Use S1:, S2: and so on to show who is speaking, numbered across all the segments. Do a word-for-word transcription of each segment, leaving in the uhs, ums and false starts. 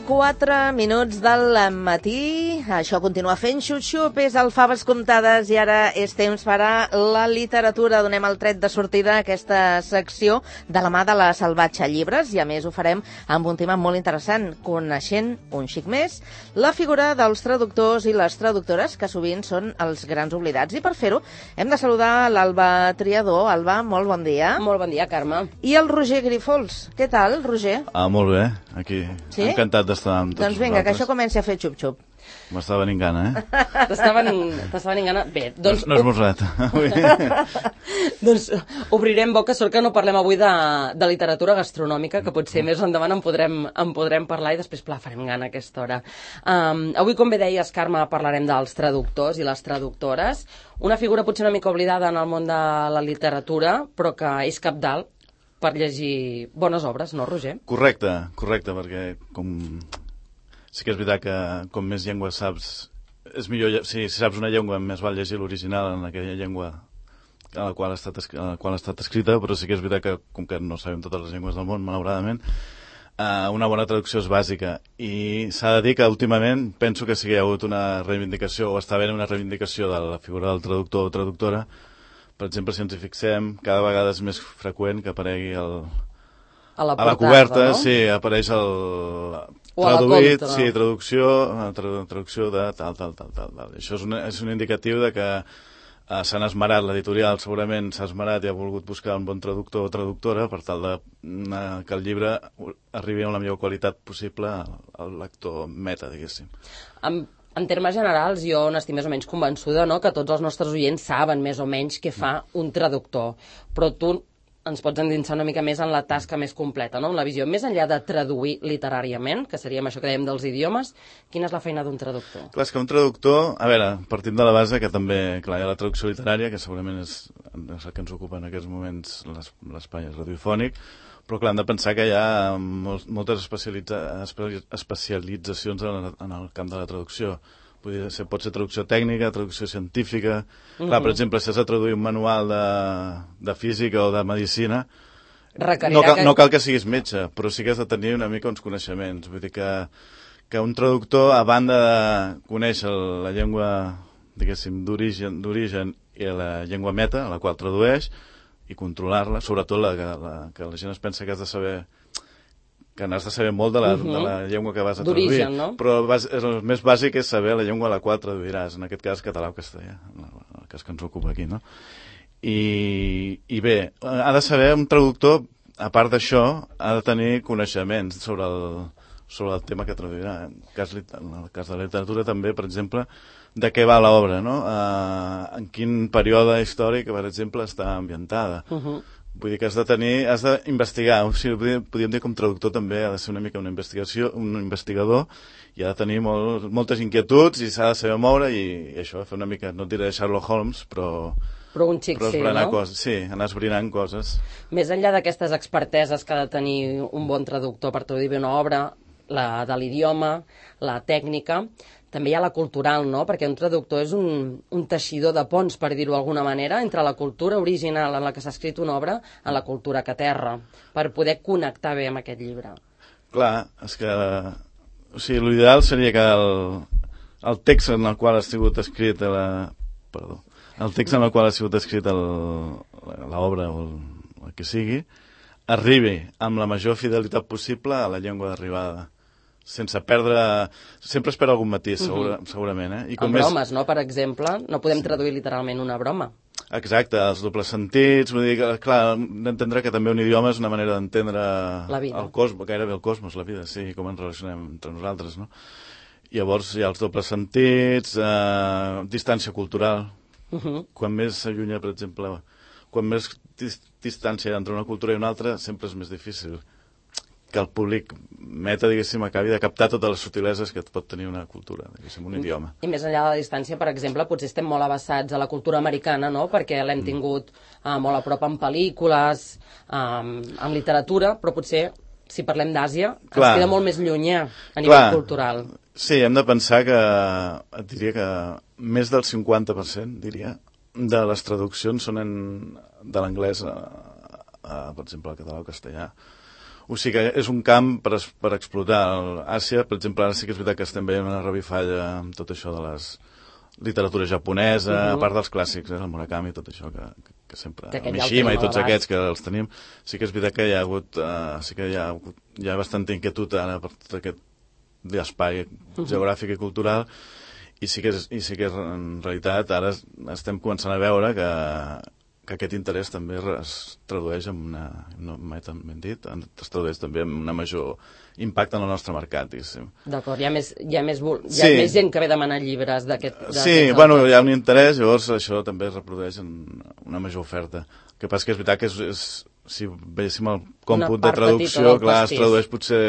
S1: quatre minuts del matí. Això continua fent xup-xup, és el Faves Comptades i ara és temps per a la literatura. Donem el tret de sortida a aquesta secció de la mà de la Salvatge Llibres i a més ho farem amb un tema molt interessant, coneixent un xic més la figura dels traductors i les traductores, que sovint són els grans oblidats. I per fer-ho hem de saludar l'Alba Triador. Alba, molt bon dia.
S2: Molt bon dia, Carme.
S1: I el Roger Grifols. Què tal, Roger?
S3: Ah, molt bé, aquí.
S1: Sí?
S3: Encantat d'estar amb tots
S1: Doncs vinga,
S3: vosaltres.
S1: que això comenci a fer xup-xup.
S3: M'està venint gana, eh?
S2: T'està venint, venint gana? Bé, doncs...
S3: No, no és mosret.
S2: Doncs obrirem boca, sort que no parlem avui de, de literatura gastronòmica, que potser més endavant en podrem, en podrem parlar i després, clar, farem gana a aquesta hora. Um, avui, com bé deies, Carme, parlarem dels traductors i les traductores. Una figura potser una mica oblidada en el món de la literatura, però que és cabdal per llegir bones obres, no, Roger?
S3: Correcte, correcte, perquè com... sí que és veritat que com més llengües saps, és millor, si, si saps una llengua més val llegir l'original en aquella llengua a la qual ha estat, a la qual ha estat escrita, però sí que és veritat que com que no sabem totes les llengües del món, malauradament, eh, una bona traducció és bàsica. I s'ha de dir que últimament penso que sí que hi ha hagut una reivindicació, o està havent una reivindicació de la figura del traductor o traductora. Per exemple, si ens hi fixem, cada vegada és més freqüent que aparegui el...
S2: a la,
S3: portada, a la coberta, no? Sí, apareix el... traduït, contra, sí, traducció, tra traducció de tal, tal, tal, tal, tal. Això és, una, és un indicatiu de que eh, s'han esmerat, l'editorial segurament s'ha esmerat i ha volgut buscar un bon traductor o traductora per tal de uh, que el llibre arribi amb la millor qualitat possible al, al lector meta, diguéssim.
S2: En, en termes generals, jo n'estic més o menys convençuda, no?, que tots els nostres oients saben més o menys què fa un traductor, però tu ens pots endinsar una mica més en la tasca més completa, no?, en la visió. Més enllà de traduir literàriament, que seríem això que dèiem dels idiomes, quina és la feina d'un traductor?
S3: Clar, és que un traductor, a veure, partim de la base que també, clar, hi ha la traducció literària, que segurament és, és el que ens ocupa en aquests moments l'espai radiofònic, però clar, hem de pensar que hi ha molt, moltes especialitza, especialitzacions en, en el camp de la traducció. Podria ser, pot ser traducció tècnica, traducció científica. Mm-hmm. Clar, per exemple, si has de traduir un manual de, de física o de medicina, no cal, que... no cal que siguis metge, però sí que has de tenir una mica uns coneixements. Vull dir que, que un traductor, a banda de conèixer la llengua, diguéssim, d'origen i la llengua meta, a la qual tradueix, i controlar-la, sobretot la, la, que la gent es pensa que has de saber... que n'has de saber molt de la, uh-huh. de la llengua que vas a traduir,
S2: no?
S3: Però bas, el més bàsic és saber la llengua a la qual traduiràs, en aquest cas català o castellà, el cas que ens ocupa aquí, no? I, i bé, ha de saber un traductor, a part d'això, ha de tenir coneixements sobre el, sobre el tema que traduirà. En el cas, en el cas de la literatura també, per exemple, de què va l'obra, no? Uh, en quin període històric, per exemple, està ambientada. Uh-huh. Vull dir que has de tenir, has d'investigar, o sigui, podríem dir com traductor també ha de ser una mica una investigació, un investigador, i ha de tenir molt, moltes inquietuds i s'ha de saber moure i, i això, fer una mica, no et diré Sherlock Holmes, però...
S2: Però un xic,
S3: però
S2: sí, no?
S3: Coses, sí, anar esbrinant coses.
S2: Més enllà d'aquestes experteses que ha de tenir un bon traductor per traduir bé una obra, la de l'idioma, la tècnica... També hi ha la cultural, no? Perquè un traductor és un, un teixidor de ponts, per dir-ho d'alguna manera, entre la cultura original en la que s'ha escrit una obra a la cultura que aterra, per poder connectar bé amb aquest llibre.
S3: Clar, és que... O sigui, l'ideal seria que el, el text en el qual ha sigut escrit la... Perdó. El text en el qual ha sigut escrit l'obra o el, el que sigui arribi amb la major fidelitat possible a la llengua d'arribada. Sense perdre... Sempre es perd algun matís, segura, uh-huh. segurament. Eh? I com
S2: amb bromes, més... no? Per exemple, no podem sí. traduir literalment una broma.
S3: Exacte, els dobles sentits, vull dir que, clar, d'entendre que també un idioma és una manera d'entendre el cosmos, gairebé el cosmos, la vida, sí, com ens relacionem entre nosaltres, no? Llavors hi ha els dobles sentits, eh, distància cultural. Uh-huh. Quan més s'allunya, per exemple, quan més dis- distància hi ha entre una cultura i una altra, sempre és més difícil que el públic meta, diguéssim, acabi de captar totes les subtileses que pot tenir una cultura, diguéssim, un idioma.
S2: I més enllà de la distància, per exemple, potser estem molt avançats a la cultura americana, no?, perquè l'hem mm. tingut uh, molt a prop en pel·lícules, um, en literatura, però potser, si parlem d'Àsia, ens queda molt més llunyà a nivell Clar. cultural.
S3: Sí, hem de pensar que, et diria que més del cinquanta per cent, diria, de les traduccions són en, de l'anglès a, a, per exemple, al català o castellà. O sigui que és un camp per, per explotar. A Àsia, per exemple, ara sí que és veritat que estem veient una revifalla amb tot això de les literatura japonesa, uh-huh. a part dels clàssics, eh, el Murakami, tot això que, que, que sempre... Que Mishima i tots aquests que els tenim. Sí que és veritat que hi ha hagut, uh, sí que hi ha, hi ha bastanta inquietud ara per tot aquest espai uh-huh. geogràfic i cultural, i sí que és, i sí que és, en realitat ara estem començant a veure que, que aquest interès també es tradueix en una, no mai tan ben dit, es tradueix també en una major impacte en el nostre mercat.
S2: D'acord, hi ha, més, hi, ha més, hi ha sí. més gent que ve a demanar llibres d'aquest...
S3: Sí, bueno, hi ha un interès, llavors això també es reprodueix en una major oferta. El que passa que és veritat que és, és, si veiéssim el còmput de traducció, clar, es tradueix potser...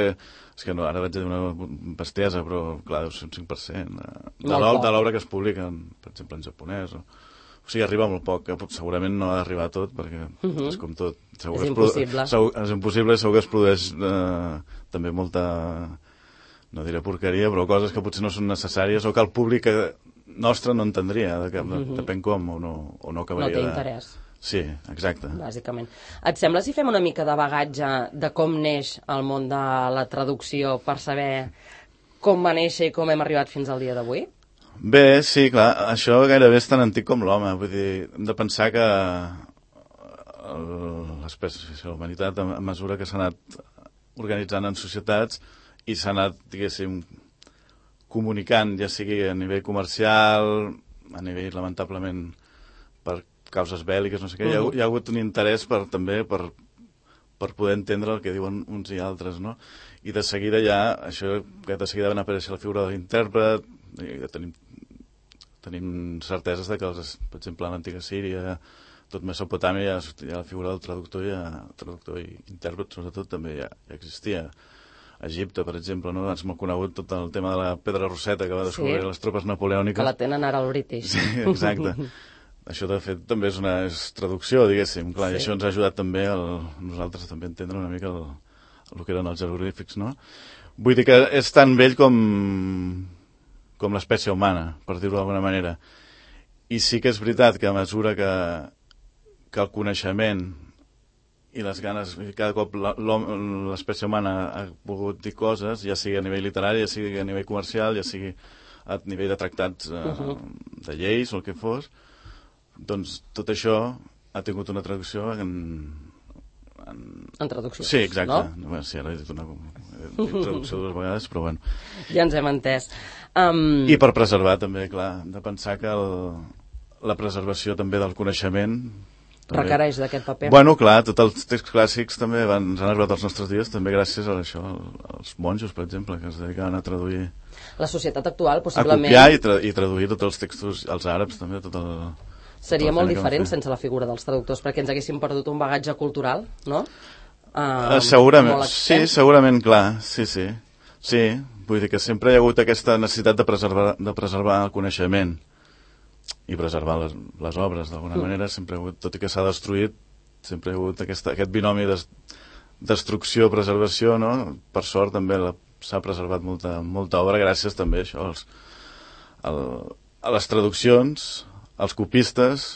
S3: És que no, ara vaig dir una bestiesa, però clar, deu ser un cinc per cent de l'obra que es publica, per exemple, en japonès. O, o sigui, arriba molt poc, que segurament no ha d'arribar tot, perquè uh-huh. és com tot. Segur
S2: és impossible.
S3: Es segur, és impossible, segur que es produeix eh, també molta, no diré porqueria, però coses que potser no són necessàries o que el públic nostre no entendria, de, de, uh-huh. depèn com, o no, o no acabaria...
S2: No té interès.
S3: De... Sí, exacte.
S2: Bàsicament. Et sembla si fem una mica de bagatge de com neix el món de la traducció per saber com va néixer i com hem arribat fins al dia d'avui?
S3: Bé, sí, clar, això gairebé és tan antic com l'home. Vull dir, hem de pensar que l'espècie, la humanitat, a mesura que s'ha anat organitzant en societats i s'ha anat, diguéssim, comunicant, ja sigui a nivell comercial, a nivell, lamentablement, per causes bèl·liques, no sé què, uh-huh. hi, ha, hi ha hagut un interès per, també per, per poder entendre el que diuen uns i altres, no? I de seguida ja, això, que de seguida van aparèixer la figura de l'intèrpret, i ja tenim, tenim certeses de que, els, per exemple, a l'antiga Síria, tot Mesopotàmia, ja, ja la figura del traductor, ja, traductor i intèrpret, sobretot, també ja, ja existia. A Egipte, per exemple, no? És molt conegut tot el tema de la pedra roseta que va descobrir sí. les tropes napoleòniques.
S2: Que la tenen ara al British.
S3: Sí, exacte. Això, de fet, també és una és traducció, diguéssim. Clar, sí. I això ens ha ajudat també a nosaltres també a entendre una mica el, el que eren els jeroglífics, no? Vull dir que és tan vell com, com l'espècie humana, per dir-ho d'alguna manera. I sí que és veritat que a mesura que, que el coneixement i les ganes, cada cop l'espècie humana ha volgut dir coses, ja sigui a nivell literari, ja sigui a nivell comercial, ja sigui a nivell de tractats eh, uh-huh. de lleis o el que fos, doncs tot això ha tingut una traducció en...
S2: En, en traducció,
S3: sí, exacte.
S2: No?
S3: Bueno, sí, ara he dit una he dit traducció dues vegades, però bueno.
S2: Ja ens hem entès. Um...
S3: I per preservar també, clar, hem de pensar que el, la preservació també del coneixement... També.
S2: Requereix d'aquest paper.
S3: Bueno, clar, tots els texts clàssics també van, ens han arribat als nostres dies, també gràcies a això, als monjos, per exemple, que es dedicaven a traduir...
S2: La societat actual, possiblement...
S3: A copiar i, tra i traduir tots els textos, els àrabs també, tot el...
S2: Seria molt diferent sense la figura dels traductors, perquè ens haguéssim perdut un bagatge cultural, no? Uh,
S3: uh, segurament, sí, segurament, clar, sí, sí. Sí, vull dir que sempre hi ha hagut aquesta necessitat de preservar, de preservar el coneixement i preservar les, les obres, d'alguna mm. manera, sempre ha hagut, tot i que s'ha destruït, sempre hi ha hagut aquesta, aquest binomi de destrucció-preservació, no? Per sort també s'ha preservat molta, molta obra, gràcies també a això, als, al, a les traduccions, als copistes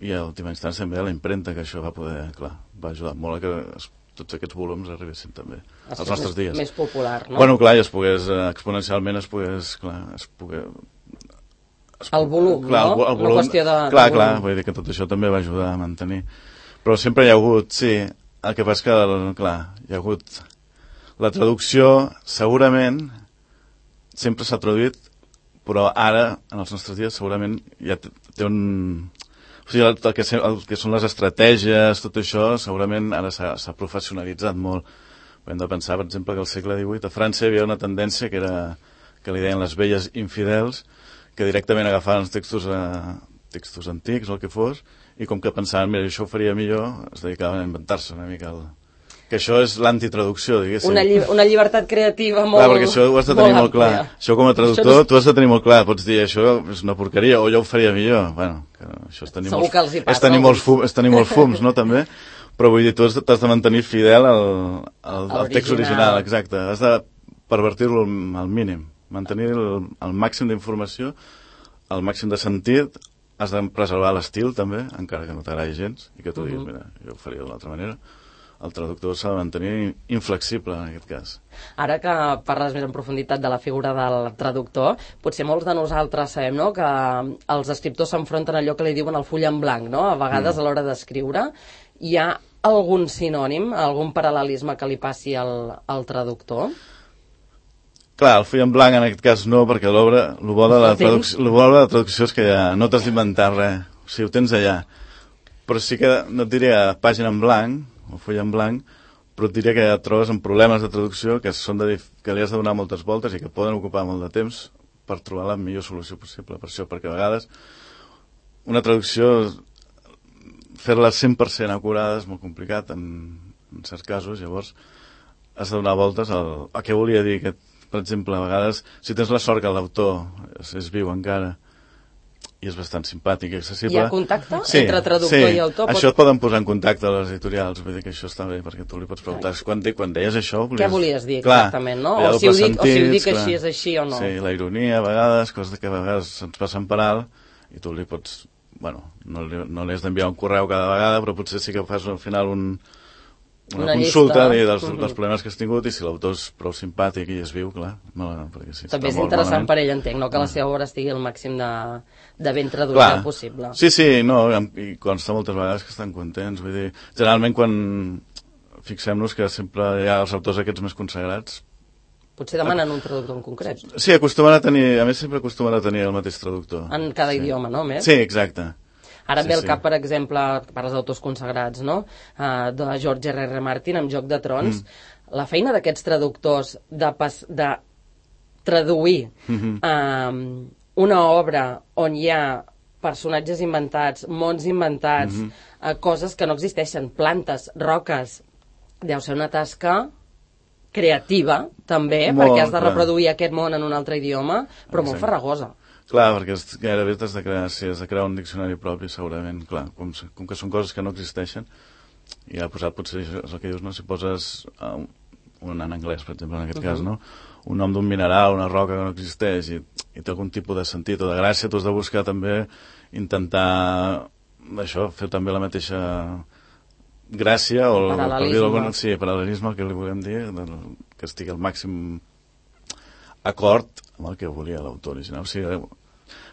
S3: i a última instància també a la impremta, que això va poder, clar, va ajudar molt a que es, tots aquests volums arribessin també als nostres dies.
S2: Més popular, no?
S3: Bueno, clar, i es pogués, exponencialment es pogués, clar, es pogués... Es,
S2: el volum,
S3: clar,
S2: no?
S3: El, el volum,
S2: una qüestió de...
S3: Clar,
S2: de
S3: clar, vull dir que tot això també va ajudar a mantenir. Però sempre hi ha hagut, sí, el que passa que, clar, hi ha hagut la traducció, segurament, sempre s'ha traduït, però ara, en els nostres dies, segurament ja té un... O sigui, el, el, que, el que són les estratègies, tot això, segurament ara s'ha professionalitzat molt. Hem de pensar, per exemple, que al segle divuit a França hi havia una tendència que era que li deien les velles infidels, que directament agafaven els textos, eh, textos antics o el que fos, i com que pensaven, mira, això ho faria millor, es dedicaven a inventar-se una mica el, que això és l'antitraducció, diguéssim.
S2: Una, lli una llibertat creativa molt...
S3: Clar, perquè això ho has de tenir molt, molt clar. Això com a traductor, no... tu has de tenir molt clar. Pots dir, això és una porqueria, o jo ho faria millor. Bueno, que això és tenir, molts, és tenir, molts, fum, és tenir molts fums, no, també? Però vull dir, tu has de, de mantenir fidel al, al, al text original, exacte. Has de pervertir-lo al mínim, mantenir el, el màxim d'informació, el màxim de sentit, has de preservar l'estil, també, encara que no t'agradi gens, i que tu diguis, mira, jo ho faria d'una altra manera. El traductor s'ha de mantenir inflexible, en aquest cas.
S2: Ara que parles més en profunditat de la figura del traductor, potser molts de nosaltres sabem, no?, que els escriptors s'enfronten a allò que li diuen el full en blanc, no?, a vegades mm. a l'hora d'escriure. Hi ha algun sinònim, algun paral·lelisme que li passi al, al traductor?
S3: Clar, el full en blanc en aquest cas no, perquè l'obra, el bo de la traducció, el bo de la traducció és que ja no t'has d'inventar res, o sigui, ho tens allà. Però sí que, no et diria pàgina en blanc, o full en blanc, però et diria que et trobes amb problemes de traducció que, són de, que li has de donar moltes voltes i que poden ocupar molt de temps per trobar la millor solució possible per això, perquè a vegades una traducció, fer-la cent per cent acurada és molt complicat en, en certs casos, llavors has de donar voltes al, a què volia dir aquest, per exemple, a vegades, si tens la sort que l'autor és, és viu encara, i és bastant simpàtic i accessible.
S2: Hi ha contacte sí, entre traductor
S3: sí.
S2: i autor?
S3: Pot... Això et poden posar en contacte a les editorials, vull dir que això està bé, perquè tu li pots preguntar. Quan, de, quan deies això... Volies...
S2: Què volies dir
S3: clar,
S2: exactament, no? O si, ho dic, sentits, o si ho dic
S3: clar.
S2: Així és així o no.
S3: Sí, la ironia a vegades, coses que a vegades ens passen per alt, i tu li pots... Bueno, no li, no li has d'enviar un correu cada vegada, però potser sí que fas al final un... una, una consulta de, dels, uh -huh. dels problemes que has tingut, i si l'autor és prou simpàtic i és viu, clar, no, perquè sí,
S2: també és interessant malament. Per ell, entenc, no? Que la seva obra estigui al màxim de, de ben traduïda
S3: clar.
S2: Possible.
S3: Sí, sí, no, i consta moltes vegades que estan contents, vull dir, generalment quan fixem-nos que sempre hi ha els autors aquests més consagrats,
S2: potser demanen un traductor en concret.
S3: Sí, acostumen a tenir, a més sempre acostumen a tenir el mateix traductor.
S2: En cada
S3: sí.
S2: idioma, no? Més?
S3: Sí, exacte.
S2: Ara
S3: sí,
S2: ve al
S3: sí.
S2: cap, per exemple, parles d'autors consagrats, no? Uh, de George erre erre Martin, amb Joc de Trons. Mm. La feina d'aquests traductors de, pas, de traduir mm-hmm. uh, una obra on hi ha personatges inventats, mons inventats, mm-hmm. uh, coses que no existeixen, plantes, roques, deu ser una tasca creativa, també, molt, perquè has de reproduir clar. Aquest món en un altre idioma, però molt farragosa.
S3: Clar, perquè és, gairebé has de crear, si has de crear un diccionari propi, segurament, clar, com, com que són coses que no existeixen, i ha posat, potser és el que dius, no? Si poses uh, un en anglès, per exemple, en aquest uh -huh. cas, no? Un nom d'un mineral, una roca que no existeix, i, i té algun tipus de sentit o de gràcia, tu has de buscar també, intentar, això, fer també la mateixa gràcia, o
S2: paral·lelisme.
S3: Sí, paral·lelisme, que li volem dir, que estigui al màxim acord amb el que volia l'autor original. O sigui,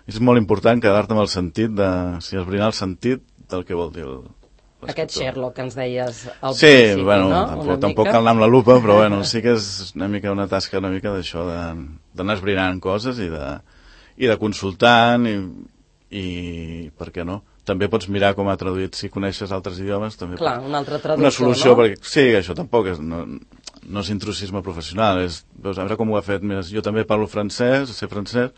S3: és molt important quedar-te amb el sentit de, si esbrinar el sentit del que vol dir l'escriptor.
S2: Aquest Sherlock que ens deies al
S3: sí,
S2: principi,
S3: bueno,
S2: no?
S3: tampoc, tampoc cal anar amb la lupa, però bueno, sí que és una mica una tasca una mica d'això, d'anar esbrinant coses i de, i de consultant i, i per què no? També pots mirar com ha traduït, si coneixes altres idiomes, també.
S2: Clar, un altre traductor,
S3: una solució,
S2: no?
S3: Perquè, sí, això tampoc és, no, no és intrusisme professional, és, veus, a veure com ho ha fet. Mira, jo també parlo francès, sé francès,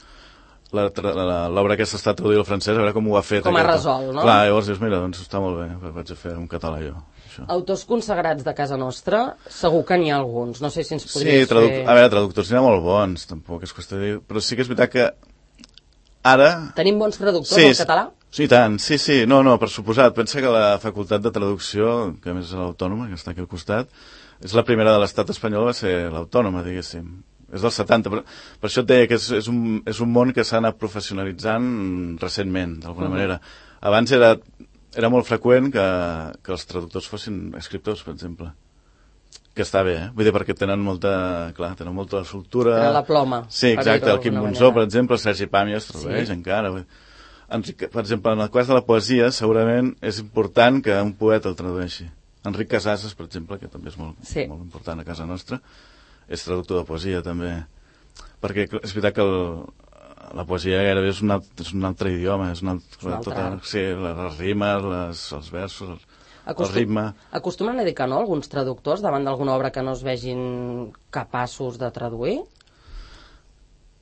S3: l'obra aquesta està traduïda al francès, a veure com ho ha fet.
S2: Com ha resolt, no?
S3: Clar, llavors dius, mira, doncs està molt bé, vaig a fer un català jo. Això.
S2: Autors consagrats de casa nostra, segur que n'hi ha alguns, no sé si ens podries
S3: sí, traduc
S2: fer...
S3: a veure, traductors n'hi ha molt bons, tampoc és qüestió de dir, però sí que és veritat que ara...
S2: Tenim bons traductors
S3: sí,
S2: al català?
S3: Sí, tant, sí, sí, no, no, per suposat. Pensa que la facultat de traducció, que a més és l'Autònoma, que està aquí al costat, és la primera de l'estat espanyol, va ser l'Autònoma, diguéssim. És del setanta, per, per això et deia que és, és, un, és un món que s'ha anat professionalitzant recentment, d'alguna uh -huh. manera. Abans era, era molt freqüent que, que els traductors fossin escriptors, per exemple. Que està bé, eh? Vull dir, perquè tenen molta, clar, tenen molta soltura.
S2: Tenen la ploma.
S3: Sí, exacte, el Quim Monzó, per exemple, el Sergi Pàmies es tradueix sí. encara, vull dir. Enric, per exemple, en el cas de la poesia, segurament és important que un poeta el tradueixi. Enric Casases, per exemple, que també és molt, sí. molt important a casa nostra, és traductor de poesia, també. Perquè és veritat que el, la poesia gairebé és un, alt, és un altre idioma, és un altre,
S2: un altre
S3: tota, sí, les rimes, les, els versos, el,
S2: Acostum,
S3: el ritme...
S2: Acostumen a dir que no, alguns traductors, davant d'alguna obra que no es vegin capaços de traduir?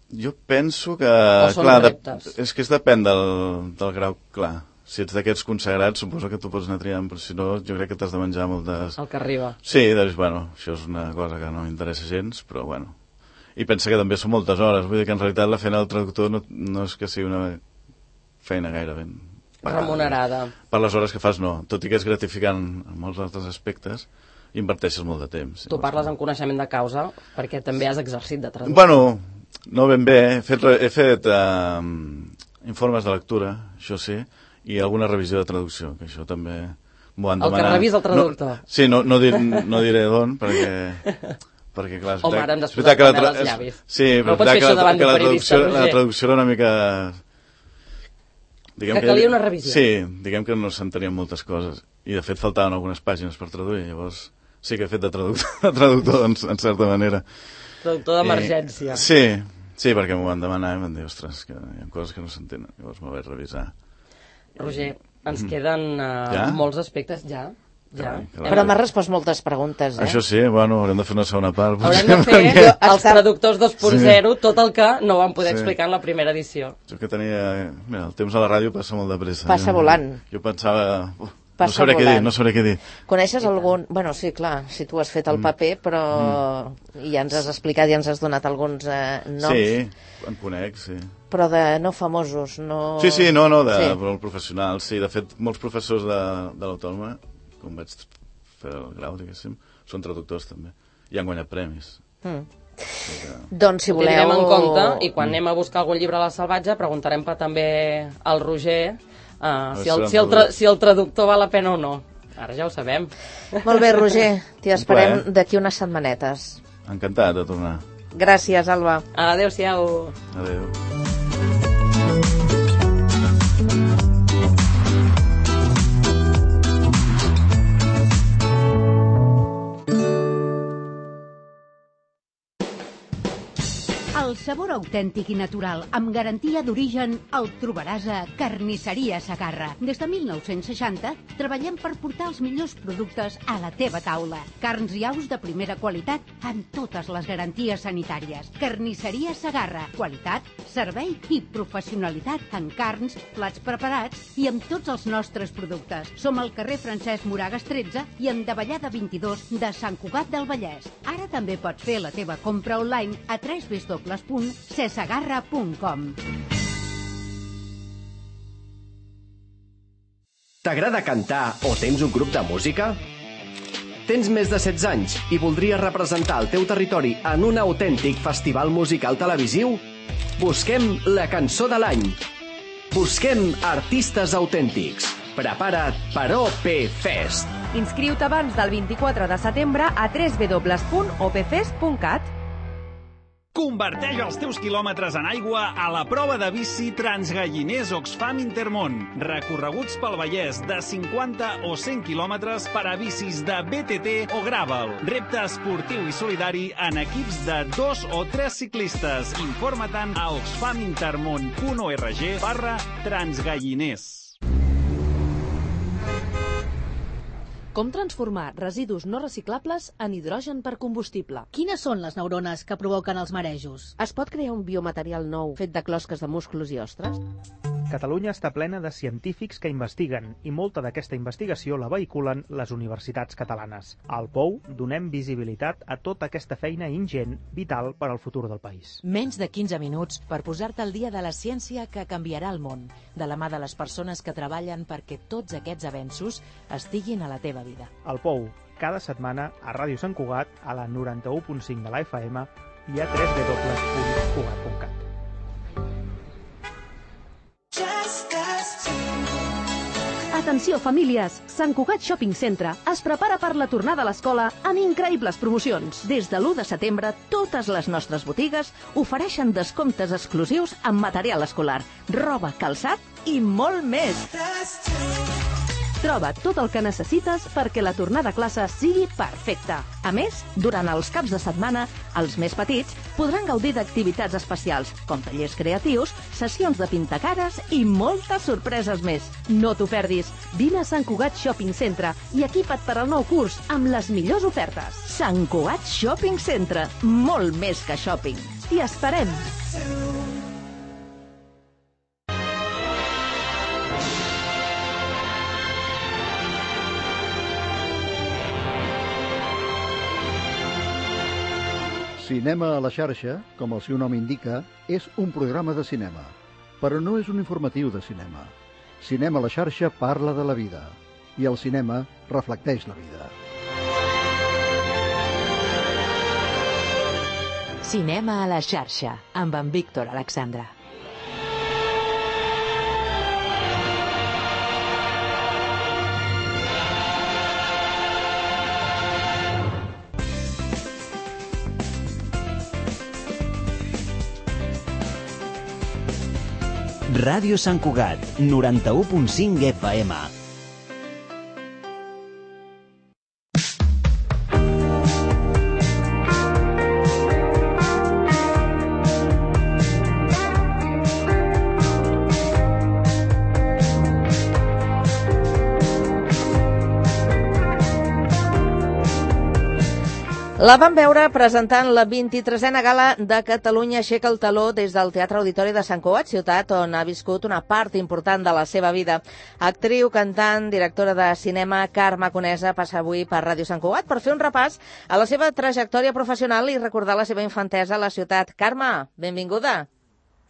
S3: Jo penso que...
S2: O són
S3: clar,
S2: reptes?
S3: de, és que es depèn del, del grau, clar. si ets d'aquests consagrats, suposo que tu pots anar triant, però si no, jo crec que t'has de menjar moltes...
S2: El que arriba.
S3: Sí, doncs, bueno, això és una cosa que no m'interessa gens, però bueno. I pensa que també són moltes hores, vull dir que en realitat la feina del traductor no, no és que sigui una feina gaire ben pagada.
S2: Remunerada.
S3: Per les hores que fas, no. Tot i que és gratificant en molts altres aspectes, inverteixes molt de temps.
S2: Tu parles amb coneixement de causa, perquè també has exercit de traductor.
S3: Bueno, no ben bé. He fet, he fet uh, informes de lectura, això sí, i alguna revisió de traducció, que això també m'ho han demanat.
S2: El que revisa el traductor.
S3: No, sí, no, no, dir, no diré d'on, perquè... perquè clar, és
S2: Home,
S3: veritat,
S2: ara hem
S3: és veritat que la, tra...
S2: els llavis.
S3: Sí, però
S2: no pots fer
S3: que,
S2: això
S3: la,
S2: davant
S3: que
S2: d'un
S3: la,
S2: periodista,
S3: traducció, la traducció era una mica... Diguem
S2: que calia una revisió.
S3: Sí, diguem que no s'entenien moltes coses. I de fet faltaven algunes pàgines per traduir, llavors sí que he fet de traductor, de traductor en, en certa manera.
S2: Traductor d'emergència.
S3: Sí, sí, perquè m'ho van demanar i m'han dit, ostres, que hi ha coses que no s'entenen, llavors m'ho vaig revisar.
S2: Roger, ens queden uh,
S3: ja?
S2: molts aspectes, ja. Ja.
S3: Carai,
S1: Però m'ha respost moltes preguntes, eh?
S3: Això sí, bueno, haurem de fer una segona part.
S2: Haurem de fer
S1: perquè...
S2: els traductors dos punt zero, sí. Tot el que no vam poder
S3: sí.
S2: explicar en la primera edició.
S3: Jo que tenia... Mira, el temps a la ràdio passa molt de pressa.
S1: Passa
S3: jo,
S1: volant.
S3: Jo pensava... Uh,
S1: Passa
S3: no sabré
S1: volant.
S3: què dir, no sabré què dir.
S1: Coneixes algun... Bueno, sí, clar, si tu has fet el paper, però mm. ja ens has explicat, ja ens has donat alguns eh, noms.
S3: Sí, en conec, sí.
S1: Però de no famosos, no...
S3: Sí, sí, no, no, de
S1: sí.
S3: però professionals, sí. De fet, molts professors de, de l'Autònoma, com vaig fer el grau, diguéssim, són traductors també. I han guanyat premis.
S1: Mm.
S3: Sí que...
S1: Doncs si
S2: Ho
S1: voleu...
S2: tindrem en compte i quan anem a buscar algun llibre a la Salvatge preguntarem per també al Roger uh, si, el, si, el tra si el traductor val la pena o no. Ara ja ho sabem.
S1: Molt bé, Roger, t'hi esperem d'aquí unes setmanetes.
S3: Encantat de tornar.
S1: Gràcies, Alba.
S2: Adéu-siau.
S3: Adéu.
S4: El sabor autèntic i natural, amb garantia d'origen, el trobaràs a Carnisseria Segarra. Des de mil nou-cents seixanta treballem per portar els millors productes a la teva taula. Carns i aus de primera qualitat amb totes les garanties sanitàries. Carnisseria Segarra. Qualitat, servei i professionalitat en carns, plats preparats i amb tots els nostres productes. Som al carrer Francesc Moragas tretze i en Davallada vint-i-dos de Sant Cugat del Vallès. Ara també pots fer la teva compra online a w w w punt cesegarra punt com.
S5: T'agrada cantar o tens un grup de música? Tens més de setze anys i voldries representar el teu territori en un autèntic festival musical televisiu? Busquem la cançó de l'any. Busquem artistes autèntics. Prepara't per O P Fest.
S6: Inscriu-te abans del vint-i-quatre de setembre a w w w punt o p fest punt cat.
S7: Converteix els teus quilòmetres en aigua a la prova de bici Transgalliners Oxfam Intermón. Recorreguts pel Vallès de cinquanta o cent quilòmetres per a bicis de B T T o Gravel. Repte esportiu i solidari en equips de dos o tres ciclistes. Informa-te'n a oxfamintermon punt org barra transgalliners.
S8: Com transformar residus no reciclables en hidrogen per combustible?
S9: Quines són les neurones que provoquen els marejos?
S1: Es pot crear un biomaterial nou fet de closques de músculs i ostres?
S10: Catalunya està plena de científics que investiguen i molta d'aquesta investigació la vehiculen les universitats catalanes. Al P O U donem visibilitat a tota aquesta feina ingent, vital per al futur del país.
S8: Menys de quinze minuts per posar-te al dia de la ciència que canviarà el món, de la mà de les persones que treballen perquè tots aquests avenços estiguin a la teva vida.
S10: Al P O U, cada setmana a Ràdio Sant Cugat, a la noranta-u punt cinc de la F M i a w w w punt cugat punt cat.
S6: Atenció, famílies! Sant Cugat Shopping Centre es prepara per la tornada a l'escola amb increïbles promocions. Des de l'u de setembre, totes les nostres botigues ofereixen descomptes exclusius en material escolar, roba, calçat i molt més. Troba tot el que necessites perquè la tornada a classe sigui perfecta. A més, durant els caps de setmana, els més petits podran gaudir d'activitats especials, com tallers creatius, sessions de pintacares i moltes sorpreses més. No t'ho perdis. Vine a Sant Cugat Shopping Centre i equipa't per al nou curs amb les millors ofertes. Sant Cugat Shopping Centre. Molt més que shopping. T'hi esperem.
S11: Cinema a la xarxa, com el seu nom indica, és un programa de cinema, però no és un informatiu de cinema. Cinema a la xarxa parla de la vida, i el cinema reflecteix la vida.
S8: Cinema a la xarxa, amb en Víctor Alexandra.
S12: Ràdio Sant Cugat, noranta-u punt cinc F M.
S1: La vam veure presentant la vint-i-tresena gala de Catalunya Aixeca el Taló des del Teatre Auditori de Sant Cugat, ciutat on ha viscut una part important de la seva vida. Actriu, cantant, directora de cinema, Carme Conesa passa avui per Ràdio Sant Cugat per fer un repàs a la seva trajectòria professional i recordar la seva infantesa a la ciutat. Carme, benvinguda.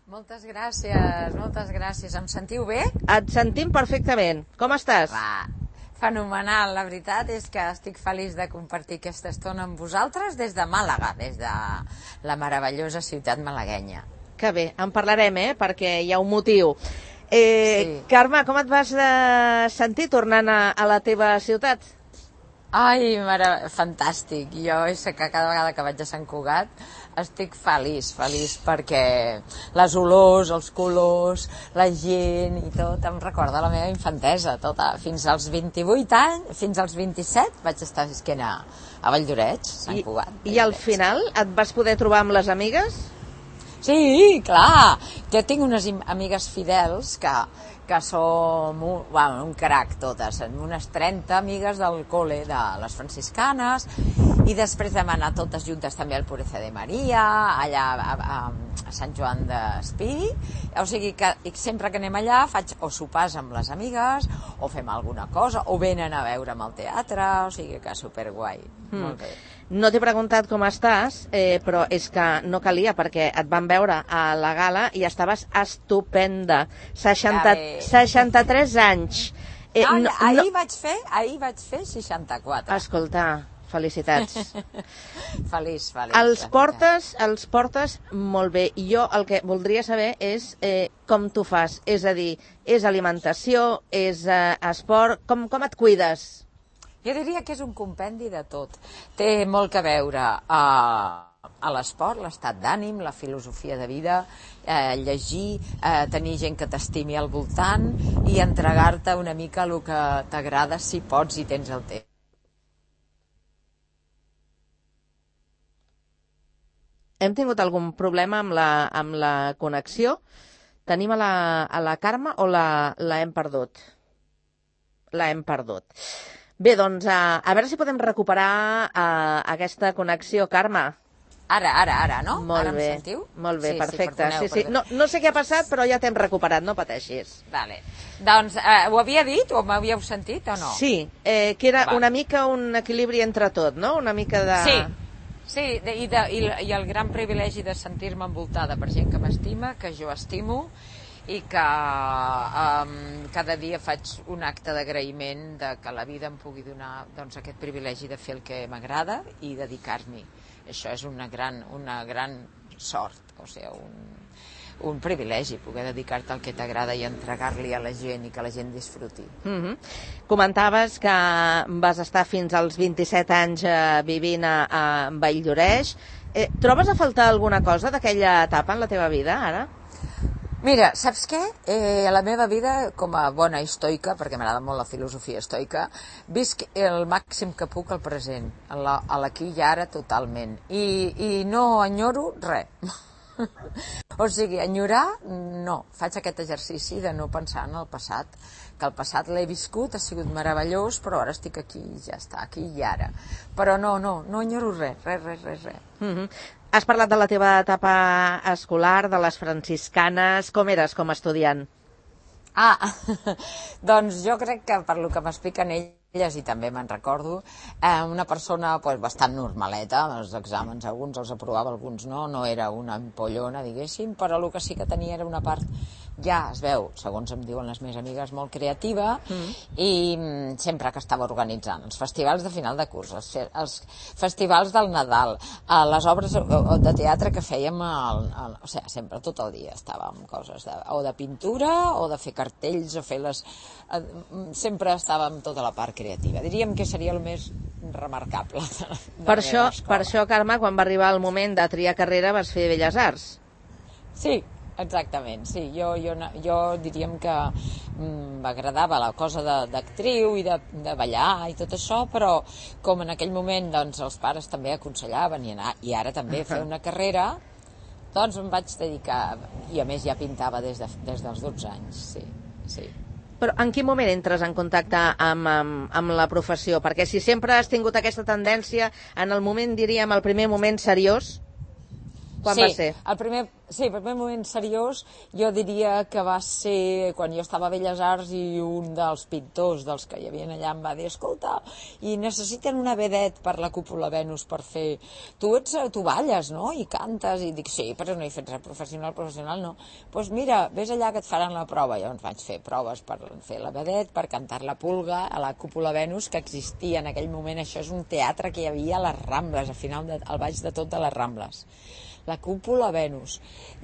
S13: Moltes gràcies, moltes gràcies. Em sentiu bé?
S1: Et sentim perfectament. Com estàs?
S13: Va. Fenomenal, la veritat és que estic feliç de compartir aquesta estona amb vosaltres des de Màlaga, des de la meravellosa ciutat malaguenya.
S1: Que bé, en parlarem, eh?, perquè hi ha un motiu. Eh, sí. Carme, com et vas eh, sentir tornant a, a la teva ciutat?
S13: Ai, mare... fantàstic. Jo és que cada vegada que vaig a Sant Cugat estic feliç, feliç perquè les olors, els colors, la gent i tot em recorda la meva infantesa, tota. Fins als vint-i-vuit anys, fins als vint-i-set vaig estar visquent a, a Valldoreix, Sant Cugat.
S1: I, I al final et vas poder trobar amb les amigues?
S13: Sí, clar. Jo tinc unes amigues fidels que, que som un, bueno, un crac totes, unes trenta amigues del col·le de les franciscanes, i després vam anar totes juntes també al Pureza de Maria, allà a, a, a Sant Joan d'Espí. O sigui que sempre que anem allà faig o sopars amb les amigues, o fem alguna cosa, o venen a veure'm al teatre, o sigui que superguai. Mm. Molt bé.
S1: No t'he preguntat com estàs, eh, però és que no calia, perquè et van veure a la gala i estaves estupenda. seixanta, seixanta-tres anys.
S13: Eh, no, no, ahir, no... Vaig fer, ahir vaig fer seixanta-quatre.
S1: Escolta, felicitats.
S13: Feliç, feliç.
S1: Els portes, els portes molt bé. I jo el que voldria saber és eh, com tu fas. És a dir, és alimentació, és eh, esport, com, com et cuides?
S13: Jo diria que és un compendi de tot. Té molt que veure a, a l'esport, l'estat d'ànim, la filosofia de vida, eh, llegir, eh, tenir gent que t'estimi al voltant i entregar-te una mica el que t'agrada si pots i tens el temps.
S1: Hem tingut algun problema amb la, amb la connexió? Tenim a la, a la Carme o la, la hem perdut? La hem perdut. Bé, doncs, a, a veure si podem recuperar uh, aquesta connexió, Carme.
S13: Ara, ara, ara, no?
S1: Molt
S13: ara
S1: bé,
S13: em sentiu?
S1: molt bé,
S13: sí,
S1: perfecte.
S13: Sí, perdoneu,
S1: sí, sí. No, no sé què ha passat, però ja t'hem recuperat, no pateixis.
S13: Vale. Doncs, eh, ho havia dit o m'havíeu sentit o no?
S1: Sí, eh, que era
S13: Va.
S1: una mica un equilibri entre tot, no? Una mica de...
S13: Sí, sí de, i, de, i, i el gran privilegi de sentir-me envoltada per gent que m'estima, que jo estimo, i que um, cada dia faig un acte d'agraïment de que la vida em pugui donar doncs, aquest privilegi de fer el que m'agrada i dedicar-m'hi. Això és una gran, una gran sort, o sigui, un, un privilegi poder dedicar-te al que t'agrada i entregar-li a la gent i que la gent disfruti.
S1: Mm-hmm. Comentaves que vas estar fins als vint-i-set anys eh, vivint a, a Valldoreix. Eh, trobes a faltar alguna cosa d'aquella etapa en la teva vida, ara?
S13: Mira, saps què? Eh, a la meva vida, com a bona estoica, perquè m'agrada molt la filosofia estoica, visc el màxim que puc al present, a l'aquí i ara totalment. I, i no enyoro res. O sigui, enyorar, no. Faig aquest exercici de no pensar en el passat, que el passat l'he viscut, ha sigut meravellós, però ara estic aquí i ja està, aquí i ara. Però no, no, no enyoro res, res, res, res, res.
S1: Mm-hmm. Has parlat de la teva etapa escolar, de les franciscanes. Com eres com a estudiant?
S13: Ah, doncs jo crec que per lo que m'expliquen ells i també me'n recordo, eh, una persona pues, bastant normaleta, els exàmens alguns els aprovava, alguns no, no era una ampollona, diguéssim, però el que sí que tenia era una part, ja es veu, segons em diuen les meves amigues, molt creativa, mm. i mm, sempre que estava organitzant els festivals de final de curs, els, els festivals del Nadal, eh, les obres de teatre que fèiem, el, el, o sigui, sempre, tot el dia estàvem coses de, o de pintura, o de fer cartells, o fer les... Eh, sempre estàvem tota la part creativa. Diríem que seria el més remarcable de, de
S1: per, això, per això, Carme, quan va arribar el moment de triar carrera vas fer Belles Arts.
S13: Sí, exactament, sí. Jo, jo, jo diríem que mm, m'agradava la cosa d'actriu i de, de ballar i tot això, però com en aquell moment doncs, els pares també aconsellaven i, anar, i ara també fer una carrera, doncs em vaig dedicar, i a més ja pintava des, de, des dels dotze anys, sí, sí.
S1: Però en quin moment entres en contacte amb, amb, amb la professió? Perquè si sempre has tingut aquesta tendència, en el moment, diríem, el primer moment seriós, quan
S13: sí,
S1: va ser?
S13: El primer, sí, el primer moment seriós jo diria que va ser quan jo estava a Belles Arts i un dels pintors dels que hi havia allà em va dir, escolta, i necessiten una vedet per la cúpula Venus per fer... Tu, ets, tu balles, no? I cantes, i dic, sí, però no he fet res professional, professional no. Doncs pues mira, vés allà que et faran la prova. Llavors vaig fer proves per fer la vedet, per cantar la Pulga a la cúpula Venus, que existia en aquell moment. Això és un teatre que hi havia a les Rambles, al final, de, al baix de tot de les Rambles. La cúpula Venus.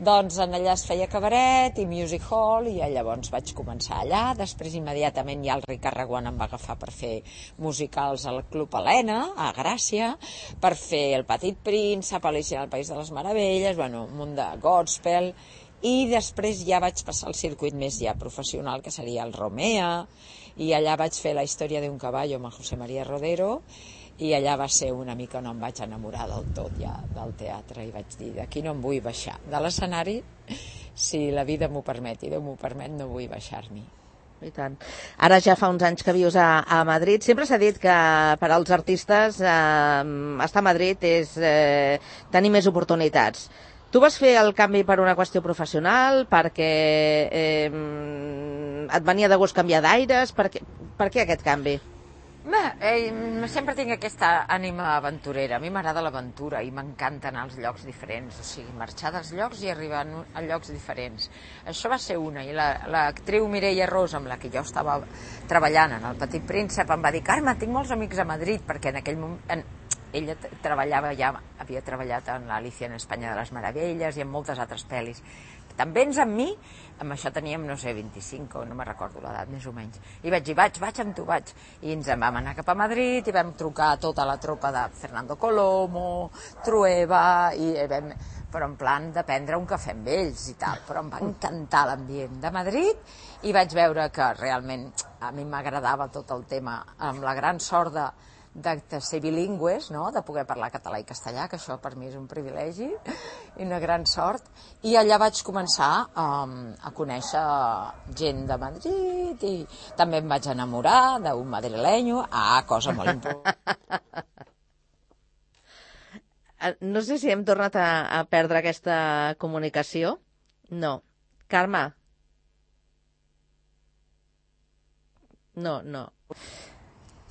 S13: Doncs en allà es feia cabaret i music hall i llavors vaig començar allà. Després immediatament ja el Ricard Reguant em va agafar per fer musicals al Club Helena, a Gràcia, per fer El Petit Príncep, Alicia al País de les Meravelles, bueno, un munt de gospel, i després ja vaig passar al circuit més ja professional, que seria el Romea, i allà vaig fer La història d'un caballo amb el José María Rodero, i allà va ser una mica on em vaig enamorar del tot ja del teatre i vaig dir, d'aquí no em vull baixar de l'escenari, si la vida m'ho permet i Déu m'ho permet, no vull baixar-m'hi.
S1: I tant. Ara ja fa uns anys que vius a, a Madrid. Sempre s'ha dit que per als artistes eh, estar a Madrid és eh, tenir més oportunitats. Tu vas fer el canvi per una qüestió professional, perquè eh, et venia de gust canviar d'aires, per, per què aquest canvi?
S13: Bé, eh, sempre tinc aquesta ànima aventurera. A mi m'agrada l'aventura i m'encanta anar als llocs diferents, o sigui, marxar dels llocs i arribar a llocs diferents. Això va ser una, i l'actriu la, Mireia Ros, amb la que jo estava treballant en El Petit Príncep, em va dir, Carme, tinc molts amics a Madrid, perquè en aquell moment... En, ella treballava ja, havia treballat en l'Alicia en Espanya de les Meravelles i en moltes altres pel·lis. També ens amb mi, amb això teníem, no sé, vint-i-cinc, o no me'n recordo l'edat, més o menys. I vaig dir, vaig, vaig amb tu, vaig. I ens en vam anar cap a Madrid i vam trucar a tota la tropa de Fernando Colomo, Trueba, i vam, però en plan de prendre un cafè amb ells i tal. Però em va encantar l'ambient de Madrid i vaig veure que realment a mi m'agradava tot el tema, amb la gran sort de De, de ser bilingües, no? De poder parlar català i castellà, que això per mi és un privilegi i una gran sort, i allà vaig començar um, a conèixer gent de Madrid i també em vaig enamorar d'un madrilenyo, ah, cosa molt important.
S1: No sé si hem tornat a, a perdre aquesta comunicació. No. Carme? No, no.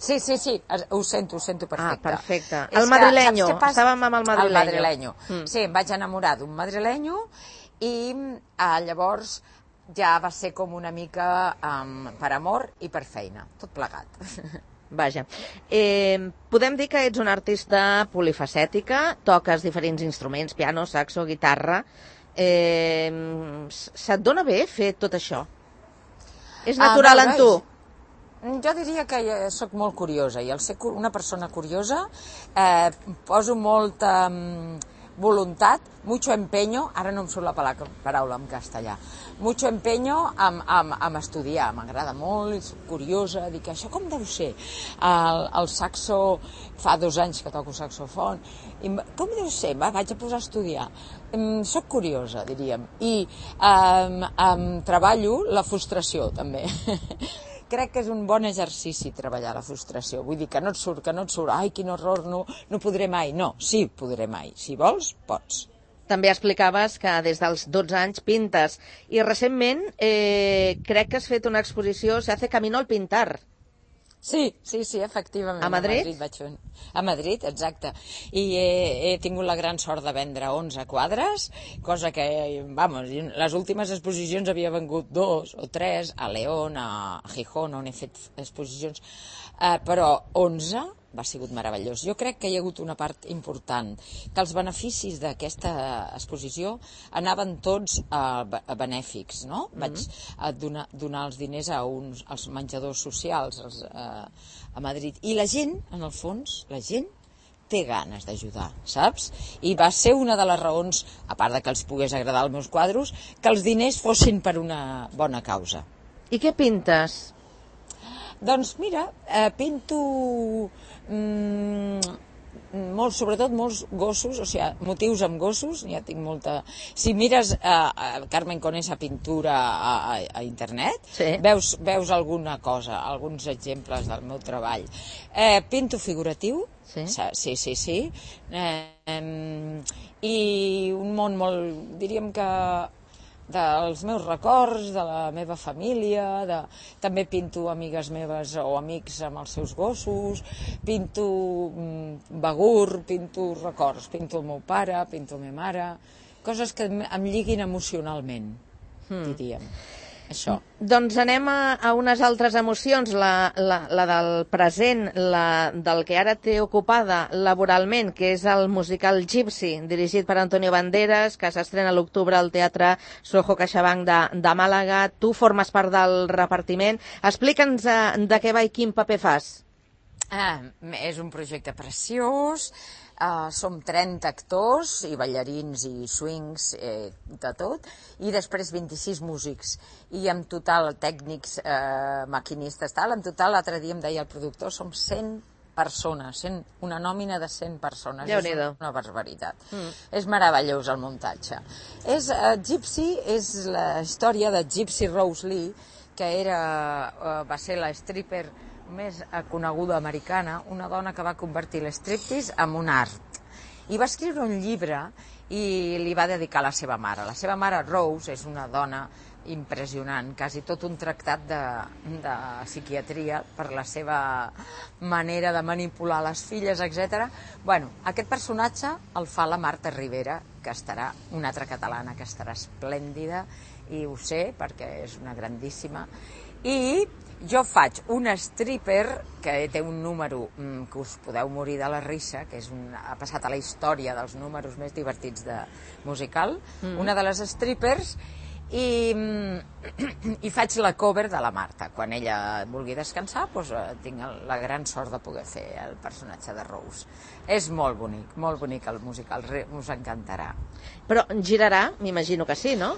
S13: Sí, sí, sí, ho sento, ho sento perfecte.
S1: Ah, perfecte. El madrilenyo, estàvem amb el madrilenyo.
S13: El madrilenyo. Mm. Sí, em vaig enamorar d'un madrilenyo i eh, llavors ja va ser com una mica um, per amor i per feina, tot plegat.
S1: Vaja. Eh, podem dir que ets una artista polifacètica, toques diferents instruments, piano, saxo, guitarra. Eh, se't dona bé fer tot això? És natural ah, en tu?
S13: Jo diria que sóc molt curiosa i al ser una persona curiosa eh, poso molta um, voluntat, mucho empeño, ara no em surt la paraula en castellà, mucho empeño amb, amb, amb estudiar, m'agrada molt, soc curiosa, dic, això com deu ser? El, el saxo, fa dos anys que toco saxofon, i com deu ser? Va, vaig a posar a estudiar. Um, soc curiosa, diríem, i um, um, treballo la frustració, també. Crec que és un bon exercici treballar la frustració. Vull dir que no et surt, que no et surt, ai, quin horror, no, no podré mai. No, sí, podré mai. Si vols, pots.
S1: També explicaves que des dels dotze anys pintes i recentment eh, crec que has fet una exposició, Se hace camino al pintar.
S13: Sí, sí, sí, efectivament.
S1: A Madrid?
S13: A Madrid, vaig fer un... a Madrid, exacte. I he, he tingut la gran sort de vendre onze quadres, cosa que, vamos, les últimes exposicions havia vengut dos o tres, a León, a Gijón, on he fet exposicions, eh, però onze va sigut meravellós. Jo crec que hi ha hagut una part important, que els beneficis d'aquesta exposició anaven tots a, a benèfics, no? Mm-hmm. Vaig a donar, donar els diners a uns, als menjadors socials als, a, a Madrid. I la gent, en el fons, la gent té ganes d'ajudar, saps? I va ser una de les raons, a part de que els pogués agradar els meus quadros, que els diners fossin per una bona causa.
S1: I què pintes?
S13: Doncs mira, eh, pinto mm, molt, sobretot molts gossos, o sigui, motius amb gossos, ja tinc molta... Si mires eh, a Carmen Conesa pintura a, a, a internet, sí. veus, veus alguna cosa, alguns exemples del meu treball. Eh, pinto figuratiu, sí, sí, sí, sí. Eh, eh, i un món molt, diríem que dels meus records, de la meva família, de... també pinto amigues meves o amics amb els seus gossos, pinto mm, begur, pinto records, pinto el meu pare, pinto la meva mare, coses que em lliguin emocionalment, hmm. diríem. Això.
S1: Doncs anem a, a unes altres emocions, la, la, la del present, la del que ara té ocupada laboralment, que és el musical Gypsy, dirigit per Antonio Banderas, que s'estrena a l'octubre al Teatre Soho CaixaBank de, de Màlaga. Tu formes part del repartiment. Explica'ns de, de què va i quin paper fas.
S13: Ah, és un projecte preciós. Uh, som trenta actors i ballarins i swings, eh, de tot, i després vint-i-sis músics, i en total tècnics, eh, maquinistes, tal, en total l'altre dia em deia el productor, som cent persones, cent, una nòmina de cent persones, és una, una barbaritat. Mm. És meravellós el muntatge. És, uh, Gypsy és la història de Gypsy Rose Lee, que era, uh, va ser la stripper més coneguda americana, una dona que va convertir l'estriptease en un art. I va escriure un llibre i li va dedicar a la seva mare. La seva mare, Rose, és una dona impressionant, quasi tot un tractat de, de psiquiatria per la seva manera de manipular les filles, etcètera. Bueno, aquest personatge el fa la Marta Rivera, que estarà, una altra catalana que estarà esplèndida, i ho sé perquè és una grandíssima. I jo faig una stripper que té un número mm, que us podeu morir de la risa, que és un, ha passat a la història dels números més divertits de musical, mm. una de les strippers, i, i faig la cover de la Marta. Quan ella vulgui descansar, doncs, tinc la gran sort de poder fer el personatge de Rose. És molt bonic, molt bonic el musical, us encantarà.
S1: Però girarà? M'imagino que sí, no?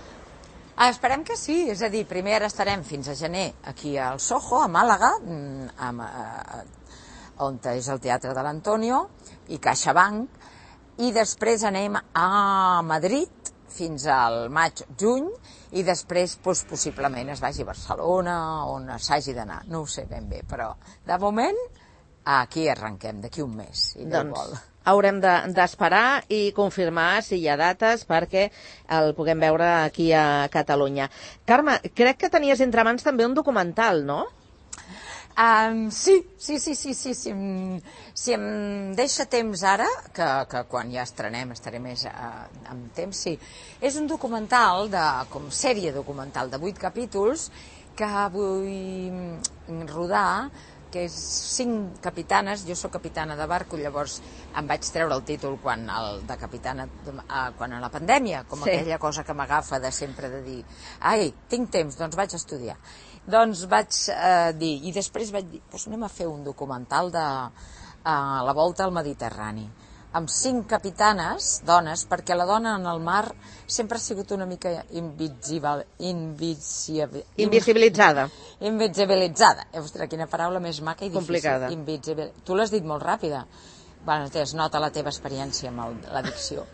S13: Ah, esperem que sí, és a dir, primer ara estarem fins a gener aquí al Soho, a Màlaga, amb, a, on és el Teatre de l'Antonio i CaixaBank, i després anem a Madrid fins al maig-juny, i després doncs, possiblement es vagi a Barcelona, on s'hagi d'anar, no ho sé ben bé, però de moment aquí arrenquem, d'aquí un mes, i Déu
S1: doncs...
S13: vol.
S1: Haurem d'esperar de, i confirmar si hi ha dates perquè el puguem veure aquí a Catalunya. Carme, crec que tenies entre mans també un documental, no?
S13: Um, sí, sí, sí, sí, sí, sí. Si em deixa temps ara, que, que quan ja estrenem estaré més uh, amb temps, sí. És un documental, de, com sèrie documental de vuit capítols, que vull rodar, que és cinc capitanes, jo sóc capitana de barco, llavors em vaig treure el títol quan, el de capitana, quan a la pandèmia, com sí. aquella cosa que m'agafa de sempre de dir, ai, tinc temps, doncs vaig estudiar. Doncs vaig eh, dir, i després vaig dir, doncs anem a fer un documental de eh, la volta al Mediterrani, amb cinc capitanes, dones, perquè la dona en el mar sempre ha sigut una mica invisible, invisible,
S1: invisibilitzada.
S13: Invisibilitzada. Ostres, quina paraula més maca i difícil.
S1: Complicada.
S13: Invisibil... Tu l'has dit molt ràpida. Bueno, es nota la teva experiència amb el, la dicció.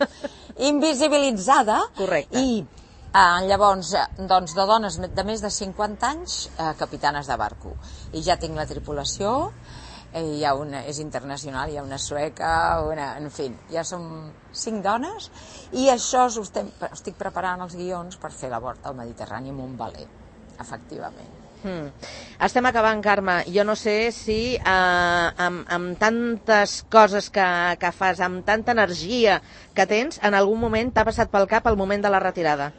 S13: Invisibilitzada.
S1: Correcte.
S13: I eh, llavors, doncs, de dones de més de cinquanta anys, eh, capitanes de barco. I ja tinc la tripulació. Hi ha una, és internacional, hi ha una sueca, una, en fi, ja som cinc dones, i això estem, estic preparant els guions per fer la volta al Mediterrani amb un veler, efectivament.
S1: Mm. Estem acabant, Carme. Jo no sé si eh, amb, amb tantes coses que, que fas, amb tanta energia que tens, en algun moment t'ha passat pel cap el moment de la retirada.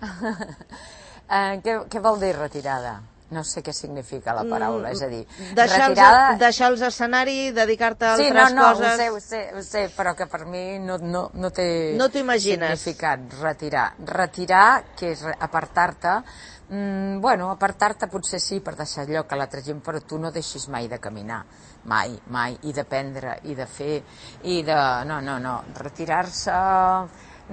S13: eh, què, què vol dir retirada? No sé què significa la paraula, és a dir...
S1: Deixar,
S13: retirada...
S1: els, deixar els escenaris, dedicar-te a
S13: sí,
S1: altres
S13: no, no,
S1: coses...
S13: Sí, no, no, ho sé, ho sé, però que per mi no, no, no té
S1: no
S13: significat, retirar. Retirar, que és apartar-te, mm, bueno, apartar-te potser sí per deixar lloc a l'altra gent, però tu no deixis mai de caminar, mai, mai, i d'aprendre, i de fer, i de... No, no, no, retirar-se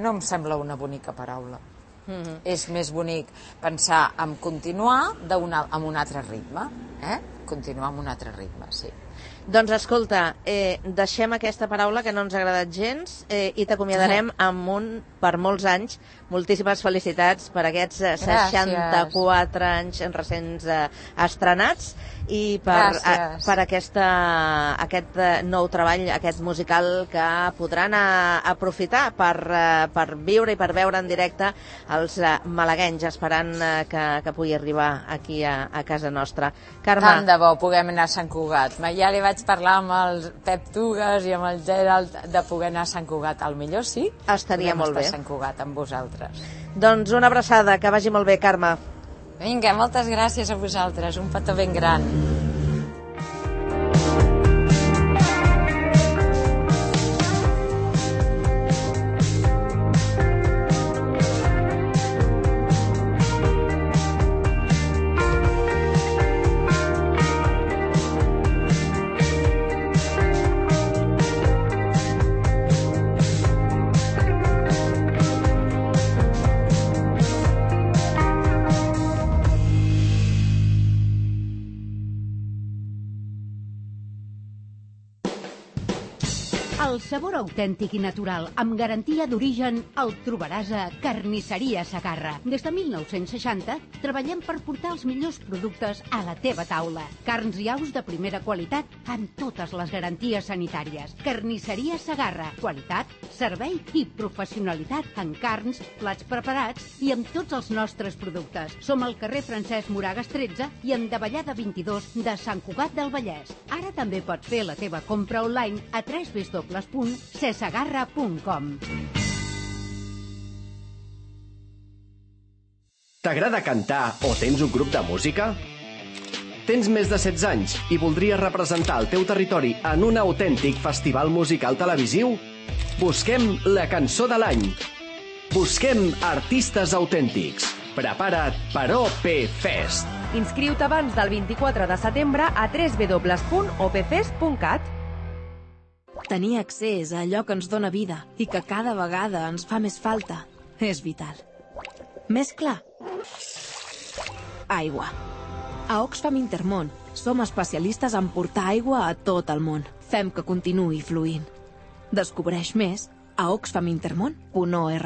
S13: no em sembla una bonica paraula. Mm-hmm. És més bonic pensar en continuar amb un altre ritme, eh? Continuar amb un altre ritme, sí.
S1: Doncs escolta, eh, deixem aquesta paraula que no ens ha agradat gens eh, i t'acomiadarem amb un, per molts anys. Moltíssimes felicitats per aquests eh, seixanta-quatre anys recents eh, estrenats i per, a, per aquesta, aquest eh, nou treball, aquest musical que podran a, aprofitar per, eh, per viure i per veure en directe els eh, malaguenys, esperant eh, que, que pugui arribar aquí a, a casa nostra. Carme.
S13: Tant de bo puguem anar a Sant Cugat. Ja li vaig parlar amb el Pep Tugas i amb el Gerald de poder anar a Sant Cugat. Al millor sí?
S1: Estaria molt bé.
S13: A Sant Cugat amb vosaltres.
S1: Doncs una abraçada, que vagi molt bé, Carme.
S13: Vinga, moltes gràcies a vosaltres, un petó ben gran.
S4: El sabor autèntic i natural, amb garantia d'origen, el trobaràs a Carnisseria Segarra. Des de mil nou-cents seixanta treballem per portar els millors productes a la teva taula. Carns i aus de primera qualitat amb totes les garanties sanitàries. Carnisseria Segarra. Qualitat, servei i professionalitat en carns, plats preparats i amb tots els nostres productes. Som al carrer Francesc Moragas tretze i en Davallada vint-i-dos de Sant Cugat del Vallès. Ara també pots fer la teva compra online a w w w punt sesegarra punt com.
S5: T'agrada cantar o tens un grup de música? Tens més de setze anys i voldries representar el teu territori en un autèntic festival musical televisiu? Busquem la cançó de l'any. Busquem artistes autèntics. Prepara't per O P Fest.
S14: Inscriu-te abans del vint-i-quatre de setembre a w w w punt o p fest punt cat.
S15: Tenir accés a allò que ens dóna vida i que cada vegada ens fa més falta és vital. Més clar? Aigua. A Oxfam Intermón som especialistes en portar aigua a tot el món. Fem que continuï fluint. Descobreix més a oxfam intermón punt org.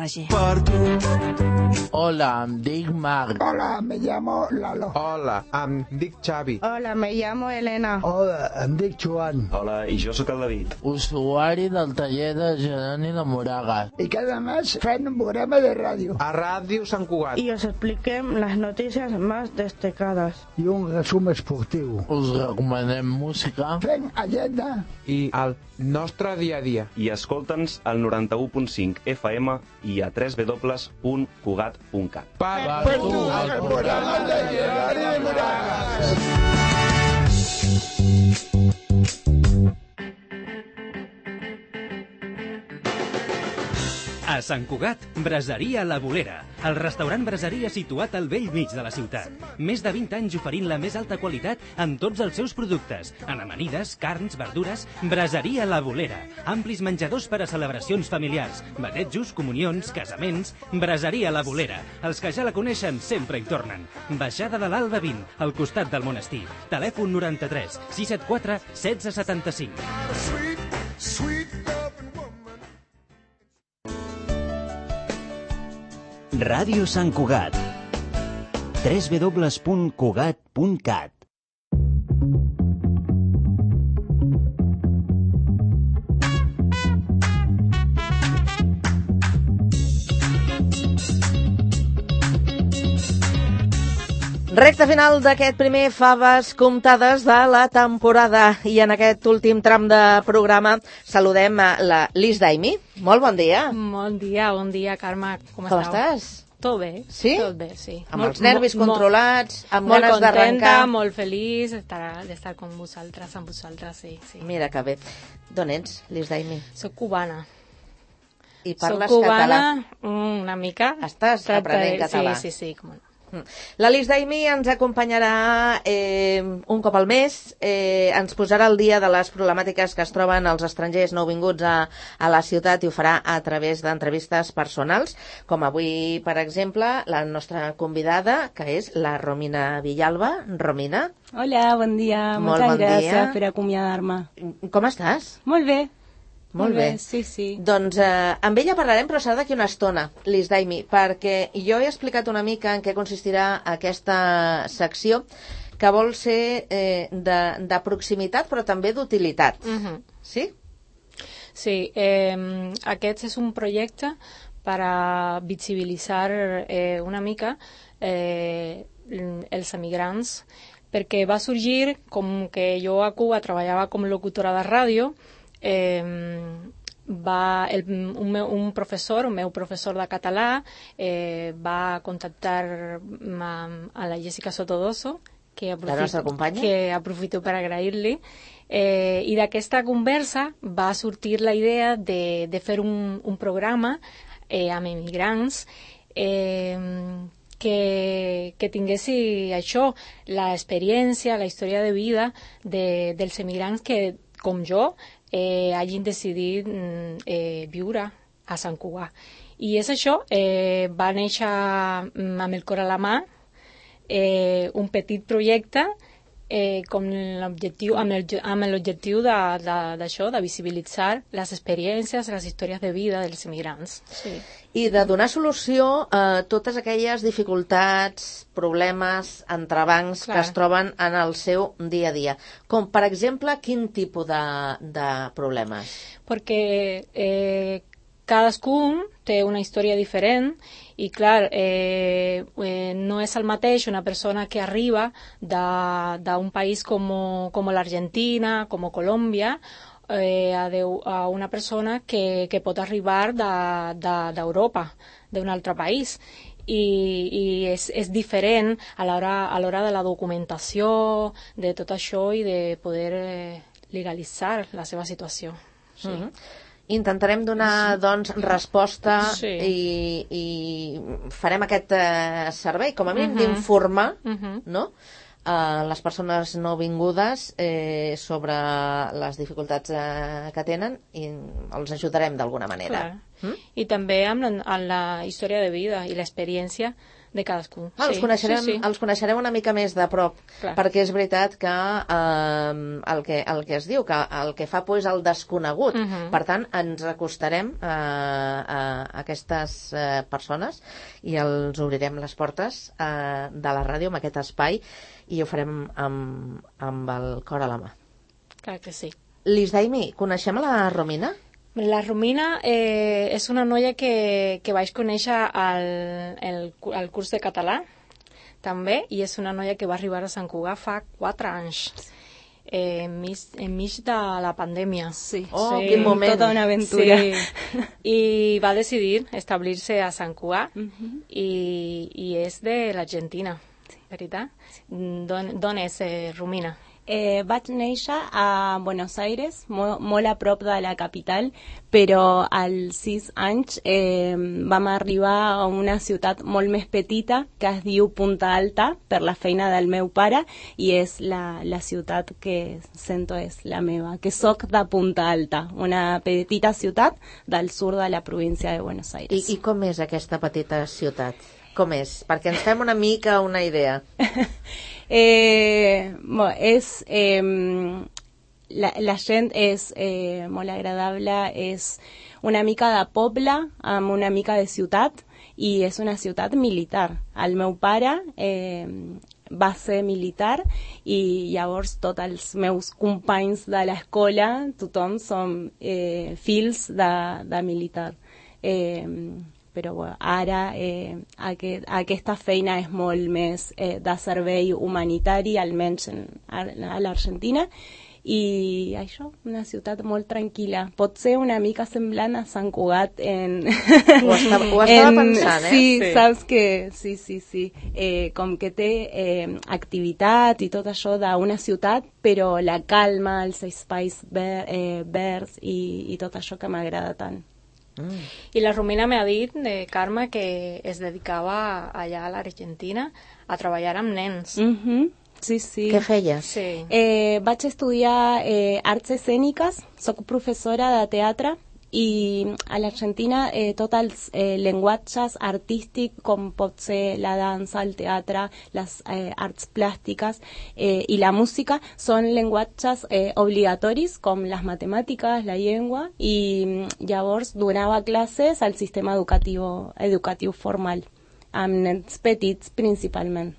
S16: Hola, em dic Marc.
S17: Hola, me llamo Lalo.
S16: Hola, em dic Xavi.
S17: Hola, me llamo Elena. Hola, em dic Joan.
S18: Hola, i jo sóc el David.
S16: Usuari del taller de Geroni de Moragas.
S17: Y cada mes fem un programa de radio.
S16: A Ràdio Sant Cugat.
S19: Y os expliquem las noticias más destacadas.
S17: I un resum esportiu.
S16: Us recomanem música.
S17: Fem agenda.
S16: I el nostre dia a dia.
S18: I escolta'ns al noranta-u punt cinc F M i a w w w punt cugat punt cat.
S16: Per, per tu, el programa de Geroni de Moragas.
S20: A Sant Cugat, Braseria La Bolera, el restaurant braseria situat al vell mig de la ciutat. Més de vint anys oferint la més alta qualitat en tots els seus productes, en amanides, carns, verdures. Braseria La Bolera, amplis menjadors per a celebracions familiars, batejos, comunions, casaments. Braseria La Bolera, els que ja la coneixen sempre hi tornen. Baixada de l'Alba vint, al costat del monestir. Telèfon noranta-tres sis set quatre setze setanta-cinc.
S12: Ràdio Sant Cugat. w w w punt cugat punt cat.
S1: Recte final d'aquest primer Faves comptades de la temporada i en aquest últim tram de programa saludem a la Liz Daimi. Molt bon dia.
S21: Bon dia, bon dia, Carme. Com,
S1: Com
S21: esteu?
S1: estàs?
S21: Tot bé.
S1: Sí?
S21: Tot bé, sí.
S1: Amb
S21: molt,
S1: els nervis
S21: molt,
S1: controlats, amb
S21: molt
S1: ganes d'arrencar.
S21: Molt contenta, molt feliç d'estar d'estar amb vosaltres, amb vosaltres, sí, sí.
S1: Mira que bé. D'on ets, Liz Daimi?
S21: Soc cubana.
S1: I parles
S21: Soc cubana,
S1: català?
S21: una mica.
S1: Estàs aprenent català?
S21: Sí, sí, sí, com no.
S1: La Liz Daimi ens acompanyarà eh, un cop al mes, eh, ens posarà al dia de les problemàtiques que es troben els estrangers nouvinguts a, a la ciutat i ho farà a través d'entrevistes personals, com avui, per exemple, la nostra convidada, que és la Romina Villalba. Romina.
S22: Hola, bon dia.
S1: Molt
S22: Moltes
S1: bon
S22: gràcies
S1: dia.
S22: per acomiadar-me.
S1: Com estàs?
S22: Molt bé.
S1: Molt bé.
S22: Sí, sí.
S1: Doncs eh, amb ella parlarem, però serà d'aquí una estona, Liz Daimi, perquè jo he explicat una mica en què consistirà aquesta secció, que vol ser eh, de, de proximitat, però també d'utilitat.
S21: Uh-huh.
S1: Sí?
S21: Sí, eh, aquest és un projecte per a visibilitzar eh, una mica eh, els emigrants, perquè va sorgir com que jo a Cuba treballava com locutora de ràdio. Eh, va el, un, meu, un professor, un meu professor de català eh, va contactar a, a la Jessica Sotodoso, que aprofito, que aprofito per agrair-li, eh, i d'aquesta conversa va sortir la idea de, de fer un, un programa eh, amb emigrants eh, que, que tinguessi això, l'experiència, la història de vida de, dels emigrants que, com jo, eh, hagin decidit eh, viure a Sant Cugat. I és això, eh, va néixer amb el cor a la mà, eh, un petit projecte eh, com l'objectiu, amb, el, amb l'objectiu d'això, de, de, de visibilitzar les experiències, les històries de vida dels emigrants. Sí.
S1: I de donar solució a totes aquelles dificultats, problemes, entrebancs Clar. que es troben en el seu dia a dia. Com, per exemple, quin tipus de, de problemes?
S21: Perquè eh, cadascun té una història diferent i, clar, eh, eh, no és el mateix una persona que arriba d'un país com, com l'Argentina, com Colòmbia, Eh, a, de, a una persona que, que pot arribar d'Europa, de, d'un altre país. I, i és, és diferent a l'hora a l'hora de la documentació, de tot això i de poder eh, legalitzar la seva situació. Sí.
S1: Mm-hmm. Intentarem donar, doncs, resposta
S21: sí.
S1: i, i farem aquest eh, servei, com a mínim,
S21: uh-huh.
S1: d'informar,
S21: uh-huh.
S1: no?, a les persones nouvingudes eh, sobre les dificultats eh, que tenen i els ajudarem d'alguna manera.
S21: Mm? I també amb la, amb la història de vida i l'experiència de cadascú.
S1: Ah,
S21: sí,
S1: els, coneixerem,
S21: sí, sí.
S1: els coneixerem una mica més de prop, Clar. perquè és veritat que, eh, el que el que es diu, que el que fa por és el desconegut.
S21: Uh-huh.
S1: Per tant, ens acostarem a, a aquestes eh, persones i els obrirem les portes eh, de la ràdio amb aquest espai i ho farem amb, amb el cor a la mà.
S21: Clar que sí.
S1: Liz Daimi, coneixem a la Romina?
S21: La Romina eh, és una noia que, que vaig conèixer al, el, al curs de català, també, i és una noia que va arribar a Sant Cugat fa quatre anys, eh, enmig, enmig de la pandèmia.
S22: Sí.
S1: Oh,
S21: sí.
S22: Quin moment. Tota una aventura.
S21: Sí. I va decidir establir-se a Sant Cugat uh-huh. i, i és de l'Argentina, sí. veritat? D'on és, eh, Romina?
S22: Eh, vaig néixer a Buenos Aires, molt, molt a prop de la capital, però als sis anys eh, vam arribar a una ciutat molt més petita que es diu Punta Alta per la feina del meu pare i és la, la ciutat que sento és la meva, que soc de Punta Alta, una petita ciutat del sud de la província de Buenos Aires.
S1: I, i com és aquesta petita ciutat? Com és? Perquè ens fem una mica una idea.
S22: eh, bueno, és, eh, la, la gent és eh, molt agradable, és una mica de poble amb una mica de ciutat i és una ciutat militar. El meu pare eh, va ser militar i llavors tots els meus companys de l'escola, tothom som eh, fills de, de militar. Eh, però bueno, ara eh, aquest, aquesta feina és molt més eh, de servei humanitari, almenys en, a, a l'Argentina, i això, una ciutat molt tranquil·la. Pot ser una mica semblant a Sant Cugat en...
S1: Ho estava, ho estava en, pensant, eh?
S22: Sí, sí, saps que... Sí, sí, sí. Eh, com que té eh, activitat i tot això d'una ciutat, però la calma, els espais ver, eh, verds i, i tot això que m'agrada tant.
S21: Mm. I la Romina m'ha dit, eh, Carme, que es dedicava allà a l'Argentina a treballar amb nens.
S22: Mhm. Sí, sí.
S1: Què feies?
S22: Sí. Eh, vaig estudiar eh, arts escèniques, soc professora de teatre i a l'Argentina eh, tots els eh, llenguatges artístics com pot ser la dansa, el teatre, les eh, arts plàstiques eh, i la música són llenguatges eh, obligatoris com les matemàtiques, la llengua i llavors donava classes al sistema educatiu, educatiu formal amb nens petits principalment.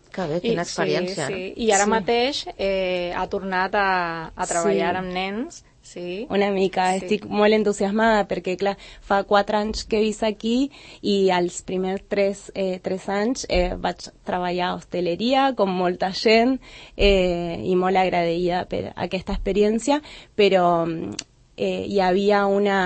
S1: Que bé, quina experiència.
S21: Sí, sí. I ara
S22: sí.
S21: mateix eh, ha tornat a, a treballar
S22: sí.
S21: amb nens. Sí.
S22: Una mica, sí. Estic molt entusiasmada perquè, clar, fa quatre anys que visc aquí i els primers tres, eh, tres anys eh, vaig treballar a hosteleria com molta gent eh, i molt agraïda per aquesta experiència, però eh, hi havia una...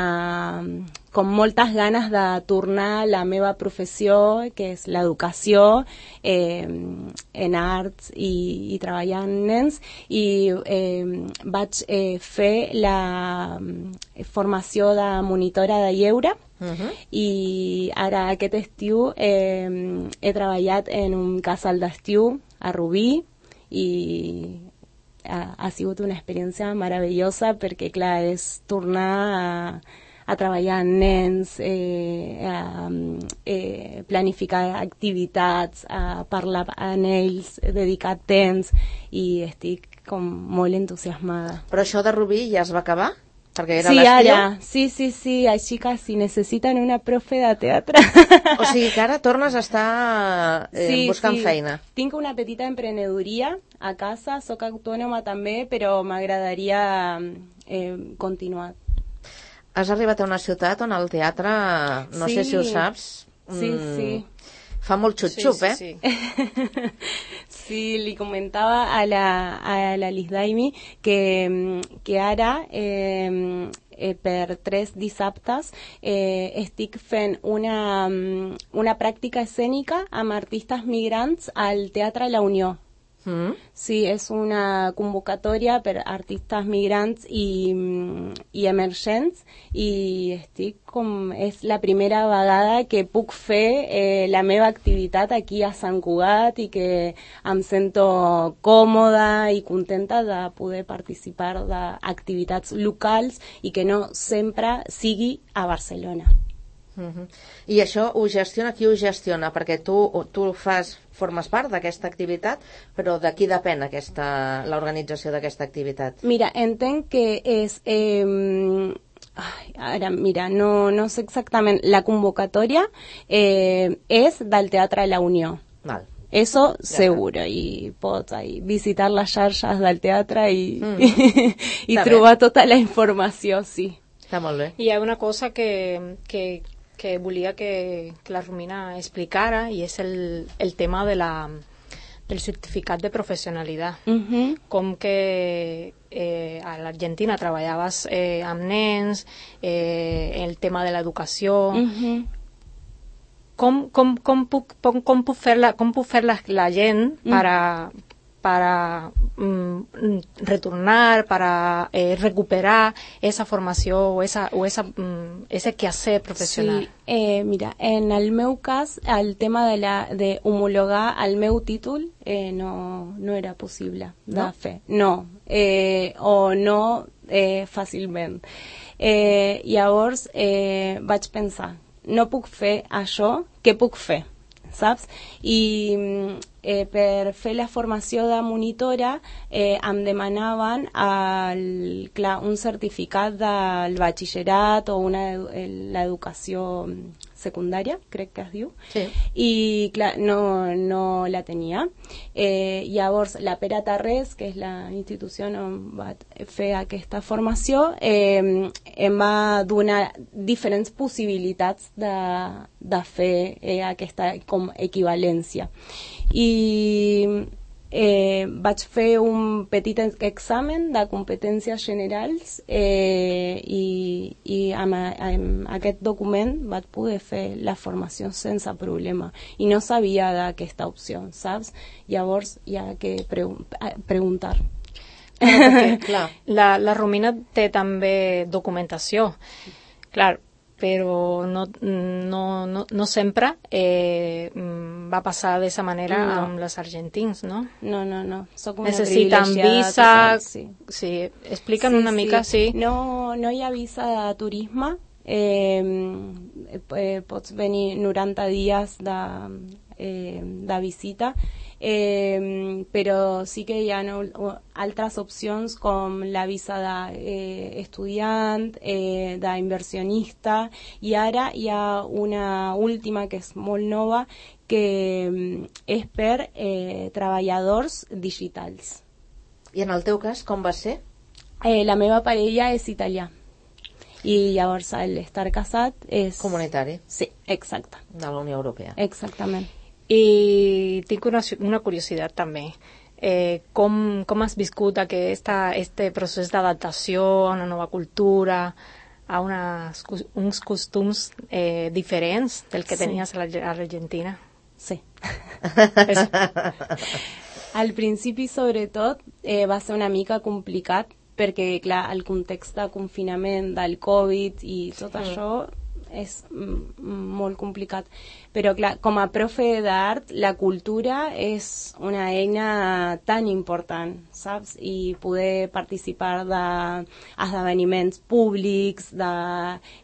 S22: com moltes ganes de tornar a la meva professió, que és l'educació eh, en arts i, i treballar amb nens, i eh, vaig eh, fer la formació de monitora de lleure, uh-huh. i ara aquest estiu eh, he treballat en un casal d'estiu a Rubí, i ha, ha sigut una experiència meravellosa perquè, clar, és tornar a a treballar amb nens, eh, a eh, planificar activitats, a parlar amb ells, dedicar temps, i estic com molt entusiasmada.
S1: Però això de Rubí ja es va acabar? Perquè era
S22: sí,
S1: l'estiu?
S22: Ara, sí, sí, sí, així que si necessiten una profe de teatre...
S1: O sigui que ara tornes a estar eh,
S22: sí,
S1: buscant
S22: sí.
S1: feina.
S22: Tinc una petita emprenedoria a casa, soc autònoma també, però m'agradaria eh, continuar.
S1: Has arribat a una ciutat on el teatre, no
S22: sí.
S1: sé si ho saps,
S22: sí,
S1: mm,
S22: sí.
S1: fa molt xup-xup,
S22: sí, sí,
S1: eh?
S22: Sí. sí, li comentava a la, a la Liz Daimi que, que ara eh, eh, per tres dissabtes eh, estic fent una, una pràctica escènica amb artistes migrants al Teatre La Unió. Mm. Sí, és una convocatòria per artistes migrants i, i emergents, i estic com, és la primera vegada que puc fer eh, la meva activitat aquí a Sant Cugat i que em sento còmoda i contenta de poder participar d'activitats locals i que no sempre sigui a Barcelona.
S1: Uh-huh. I això ho gestiona, qui ho gestiona? Perquè tu, tu fas, formes part d'aquesta activitat, però de qui depèn aquesta, l'organització d'aquesta activitat?
S22: Mira, entenc que és... Eh, ai, ara, mira, no, no sé exactament. La convocatòria eh, és del Teatre La Unió.
S1: Val.
S22: Eso ja seguro, està. I pots ahí, visitar les xarxes del teatre i, mm. i, i trobar bé. Tota la informació, sí.
S1: Està molt bé.
S21: I hi ha una cosa que... que que volia que, que la Romina explicara, i és el, el tema de la, del certificat de professionalitat.
S22: Uh-huh.
S21: Com que eh, a l'Argentina treballaves eh, amb nens, eh, el tema de l'educació...
S22: Uh-huh.
S21: Com, com, com, puc, com, com puc fer la, com puc fer la, la gent para... Uh-huh. para mm, retornar, para eh, recuperar esa formació o, esa, o esa, mm, ese quehacer professional?
S22: Sí, eh, mira, en el meu cas, el tema de, la, de homologar el meu títol eh, no, no era possible de
S1: no?
S22: fer. No, eh, o no eh, fàcilment. Eh, llavors eh, vaig pensar, no puc fer això, què puc fer? Saps? I eh, per fer la formació de monitora eh, em demanaven el, clar, un certificat del batxillerat o una, l'educació secundària, crec que es diu,
S1: sí.
S22: I clar, no, no la tenia. Eh, llavors, la Pere Tarrés, que és la institució on va fer aquesta formació, eh, em va donar diferents possibilitats de, de fer eh, aquesta com equivalència. I eh, vaig fer un petit examen de competències generals eh, i, i amb, amb aquest document vaig poder fer la formació sense problema i no sabia d'aquesta opció, saps? Llavors hi ha que pre preguntar.
S21: Claro, perquè, clar, la, la Romina té també documentació, clar, però no, no, no, no sempre eh, va passar de esa manera no. amb els argentins, no?
S22: No, no, no. Soc una
S21: necessiten visa, total, sí. sí. Explica'm sí, una mica, sí.
S22: sí. No, no hi ha visa de turisme, eh, eh, pots venir noranta dies de, eh, de visita, eh, però sí que hi ha no, altres opcions com la visa d'estudiant, eh, d'inversionista, i ara hi ha una última que és molt nova que és per eh, treballadors digitals.
S1: I en el teu cas, com va ser?
S22: Eh, la meva parella és italià. I llavors l'estar casat és...
S1: Comunitari.
S22: Sí, exacte.
S1: De la Unió Europea.
S22: Exactament.
S21: I tinc una, una curiositat també. Eh, com, com has viscut aquesta, este procés d'adaptació a una nova cultura, a unes, uns costums eh, diferents del que sí. tenies a l'Argentina?
S22: Sí. Al principi, sobretot, eh, va ser una mica complicat perquè, clar, el context de confinament del Covid i tot sí. això és molt complicat. Però, clar, com a profe d'art, la cultura és una eina tan important, saps? I poder participar d'esdeveniments públics, de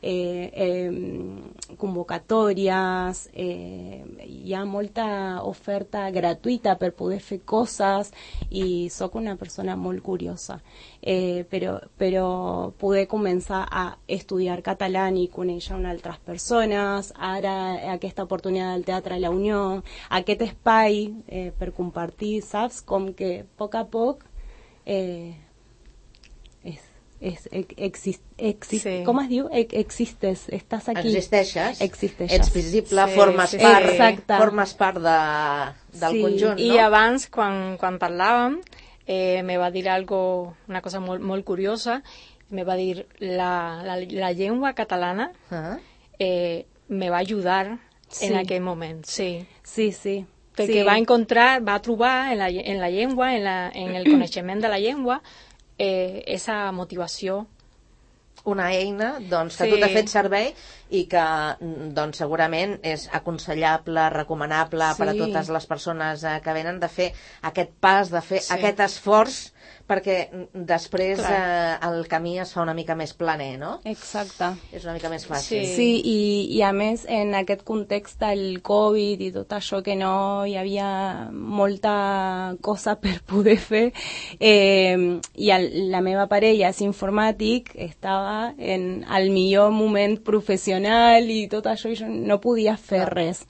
S22: eh, eh, convocatòries, eh, hi ha molta oferta gratuïta per poder fer coses i sóc una persona molt curiosa. Eh, però, però poder començar a estudiar català i conèixer una altres persones, ara aquesta oportunitat del Teatre La Unió, aquest espai eh, per compartir, saps? Com que a poc a poc eh, és, és, exist, exist, sí. com es diu? Existes, estàs aquí.
S1: Existeixes,
S22: Existeixes.
S1: Ets visible,
S22: sí,
S1: formes,
S22: sí,
S1: part,
S22: exacte.
S1: formes part de, del
S22: sí.
S1: conjunt, no?
S21: I abans, quan, quan parlàvem, eh, me va dir algo, una cosa molt, molt curiosa, me va dir la, la, la llengua catalana uh-huh. eh, me va ajudar sí. en aquell moment, sí.
S22: Sí, sí.
S21: Perquè
S22: sí.
S21: va encontrar, va trobar en la, en la llengua, en, la, en el coneixement de la llengua, eh, esa motivació.
S1: Una eina doncs, que
S21: sí.
S1: tu t'ha fet servei i que doncs, segurament és aconsellable, recomanable sí. per a totes les persones eh, que venen de fer aquest pas, de fer sí. aquest esforç, perquè després eh, el camí es fa una mica més planer, no?
S22: Exacte.
S1: És una mica més fàcil.
S22: Sí, sí i, i a més en aquest context del Covid i tot això que no hi havia molta cosa per poder fer eh, i el, la meva parella és informàtic, estava en el millor moment professional i tot això i jo no podia fer no. res.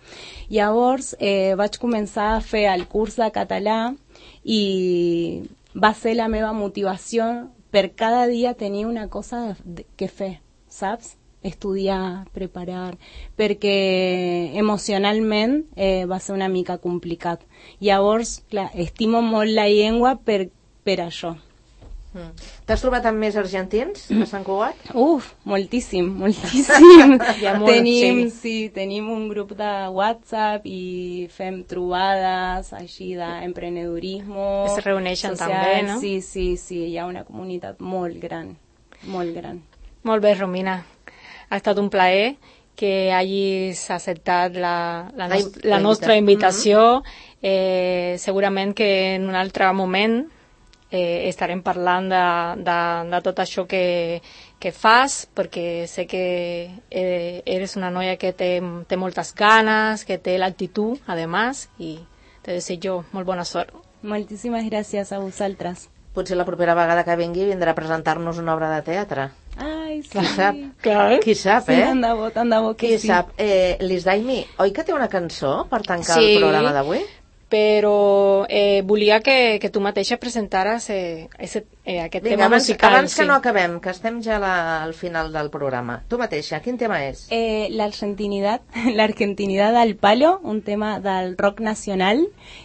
S22: Llavors eh, vaig començar a fer el curs de català i va ser la meva motivació per cada dia tenir una cosa que fer, saps? Estudiar, preparar, perquè emocionalment eh, va ser una mica complicat. Llavors, clar, estimo molt la llengua per, per això.
S1: Mm. T'has trobat amb més argentins a Sant Cugat?
S22: Uf, moltíssim, moltíssim.
S21: molt,
S22: tenim,
S21: sí.
S22: sí, tenim un grup de WhatsApp i fem trobades així d'emprenedorisme.
S21: Es reuneixen
S22: social.
S21: també, no?
S22: Sí, sí, sí, hi ha una comunitat molt gran, molt gran.
S21: Molt bé, Romina. Ha estat un plaer que hagis acceptat la, la, nos la, la nostra invitació. Mm-hmm. eh, segurament que en un altre moment Eh, estarem parlant de, de, de tot això que, que fas, perquè sé que eh, eres una noia que té, té moltes ganes, que té l'actitud, a més, i te desitjo molt bona sort.
S22: Moltíssimes gràcies a vosaltres.
S1: Potser la propera vegada que vingui vindrà a presentar-nos una obra de teatre.
S22: Ai, sí.
S1: Qui sap?
S21: Clar.
S1: Qui sap,
S22: sí,
S1: eh?
S22: Tant de bo, tant de bo que
S1: Qui
S22: sí.
S1: sap? Eh, Liz Daimi, oi que té una cançó per tancar
S21: sí,
S1: el programa d'avui?
S21: Però eh, volia que, que tu mateixa presentares eh, ese, eh, aquest
S1: Vinga,
S21: tema
S1: abans,
S21: musical.
S1: abans que
S21: sí.
S1: no acabem, que estem ja la, al final del programa. Tu mateixa, quin tema és?
S22: Eh, l'argentinidad, l'argentinidad al palo, un tema del rock nacional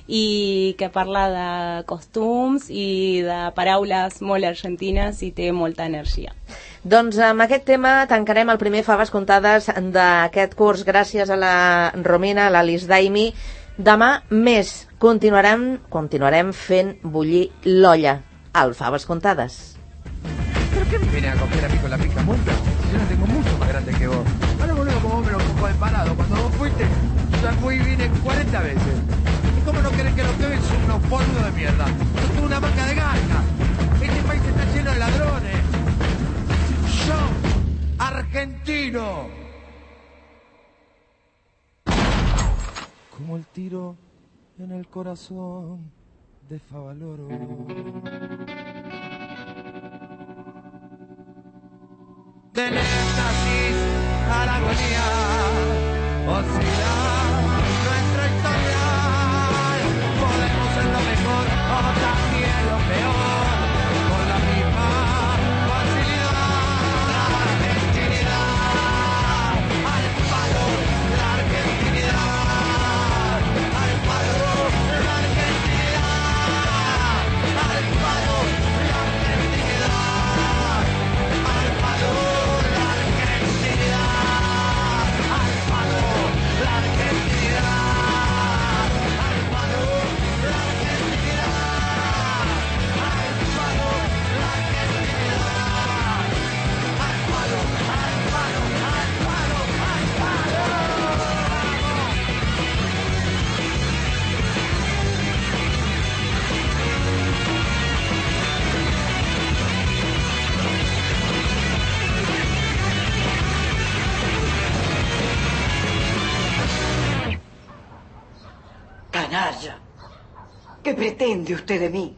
S22: i que parla de costums i de paraules molt argentines i té molta energia.
S1: Doncs amb aquest tema tancarem el primer Faves Contades d'aquest curs. Gràcies a la Romina, a la Liz Daimi. Demà més. Continuarem, continuarem fent bullir l'olla al Faves Contades.
S2: ¿Pero qué me viene a coger a mí con la pica monta? Si yo no tengo mucho más grande que vos. Ahora boludo, como vos me lo cojo de parado. Cuando vos fuiste, yo fui y vine cuarenta veces. ¿Y cómo no querés que lo que ven son unos boludos de mierda? Yo tengo una marca de garca. Este país está lleno de ladrones. Yo, argentino. Como el tiro en el corazón de Favaloro. Del éxtasis a la agonía, oscila nuestra historia. Podemos ser lo mejor o también lo peor, con la misma facilidad. La argentinidad al palo, la argentinidad al palo, la argentinidad al palo, la argentinidad al palo.
S3: Canalla, ¿qué pretende usted de mí?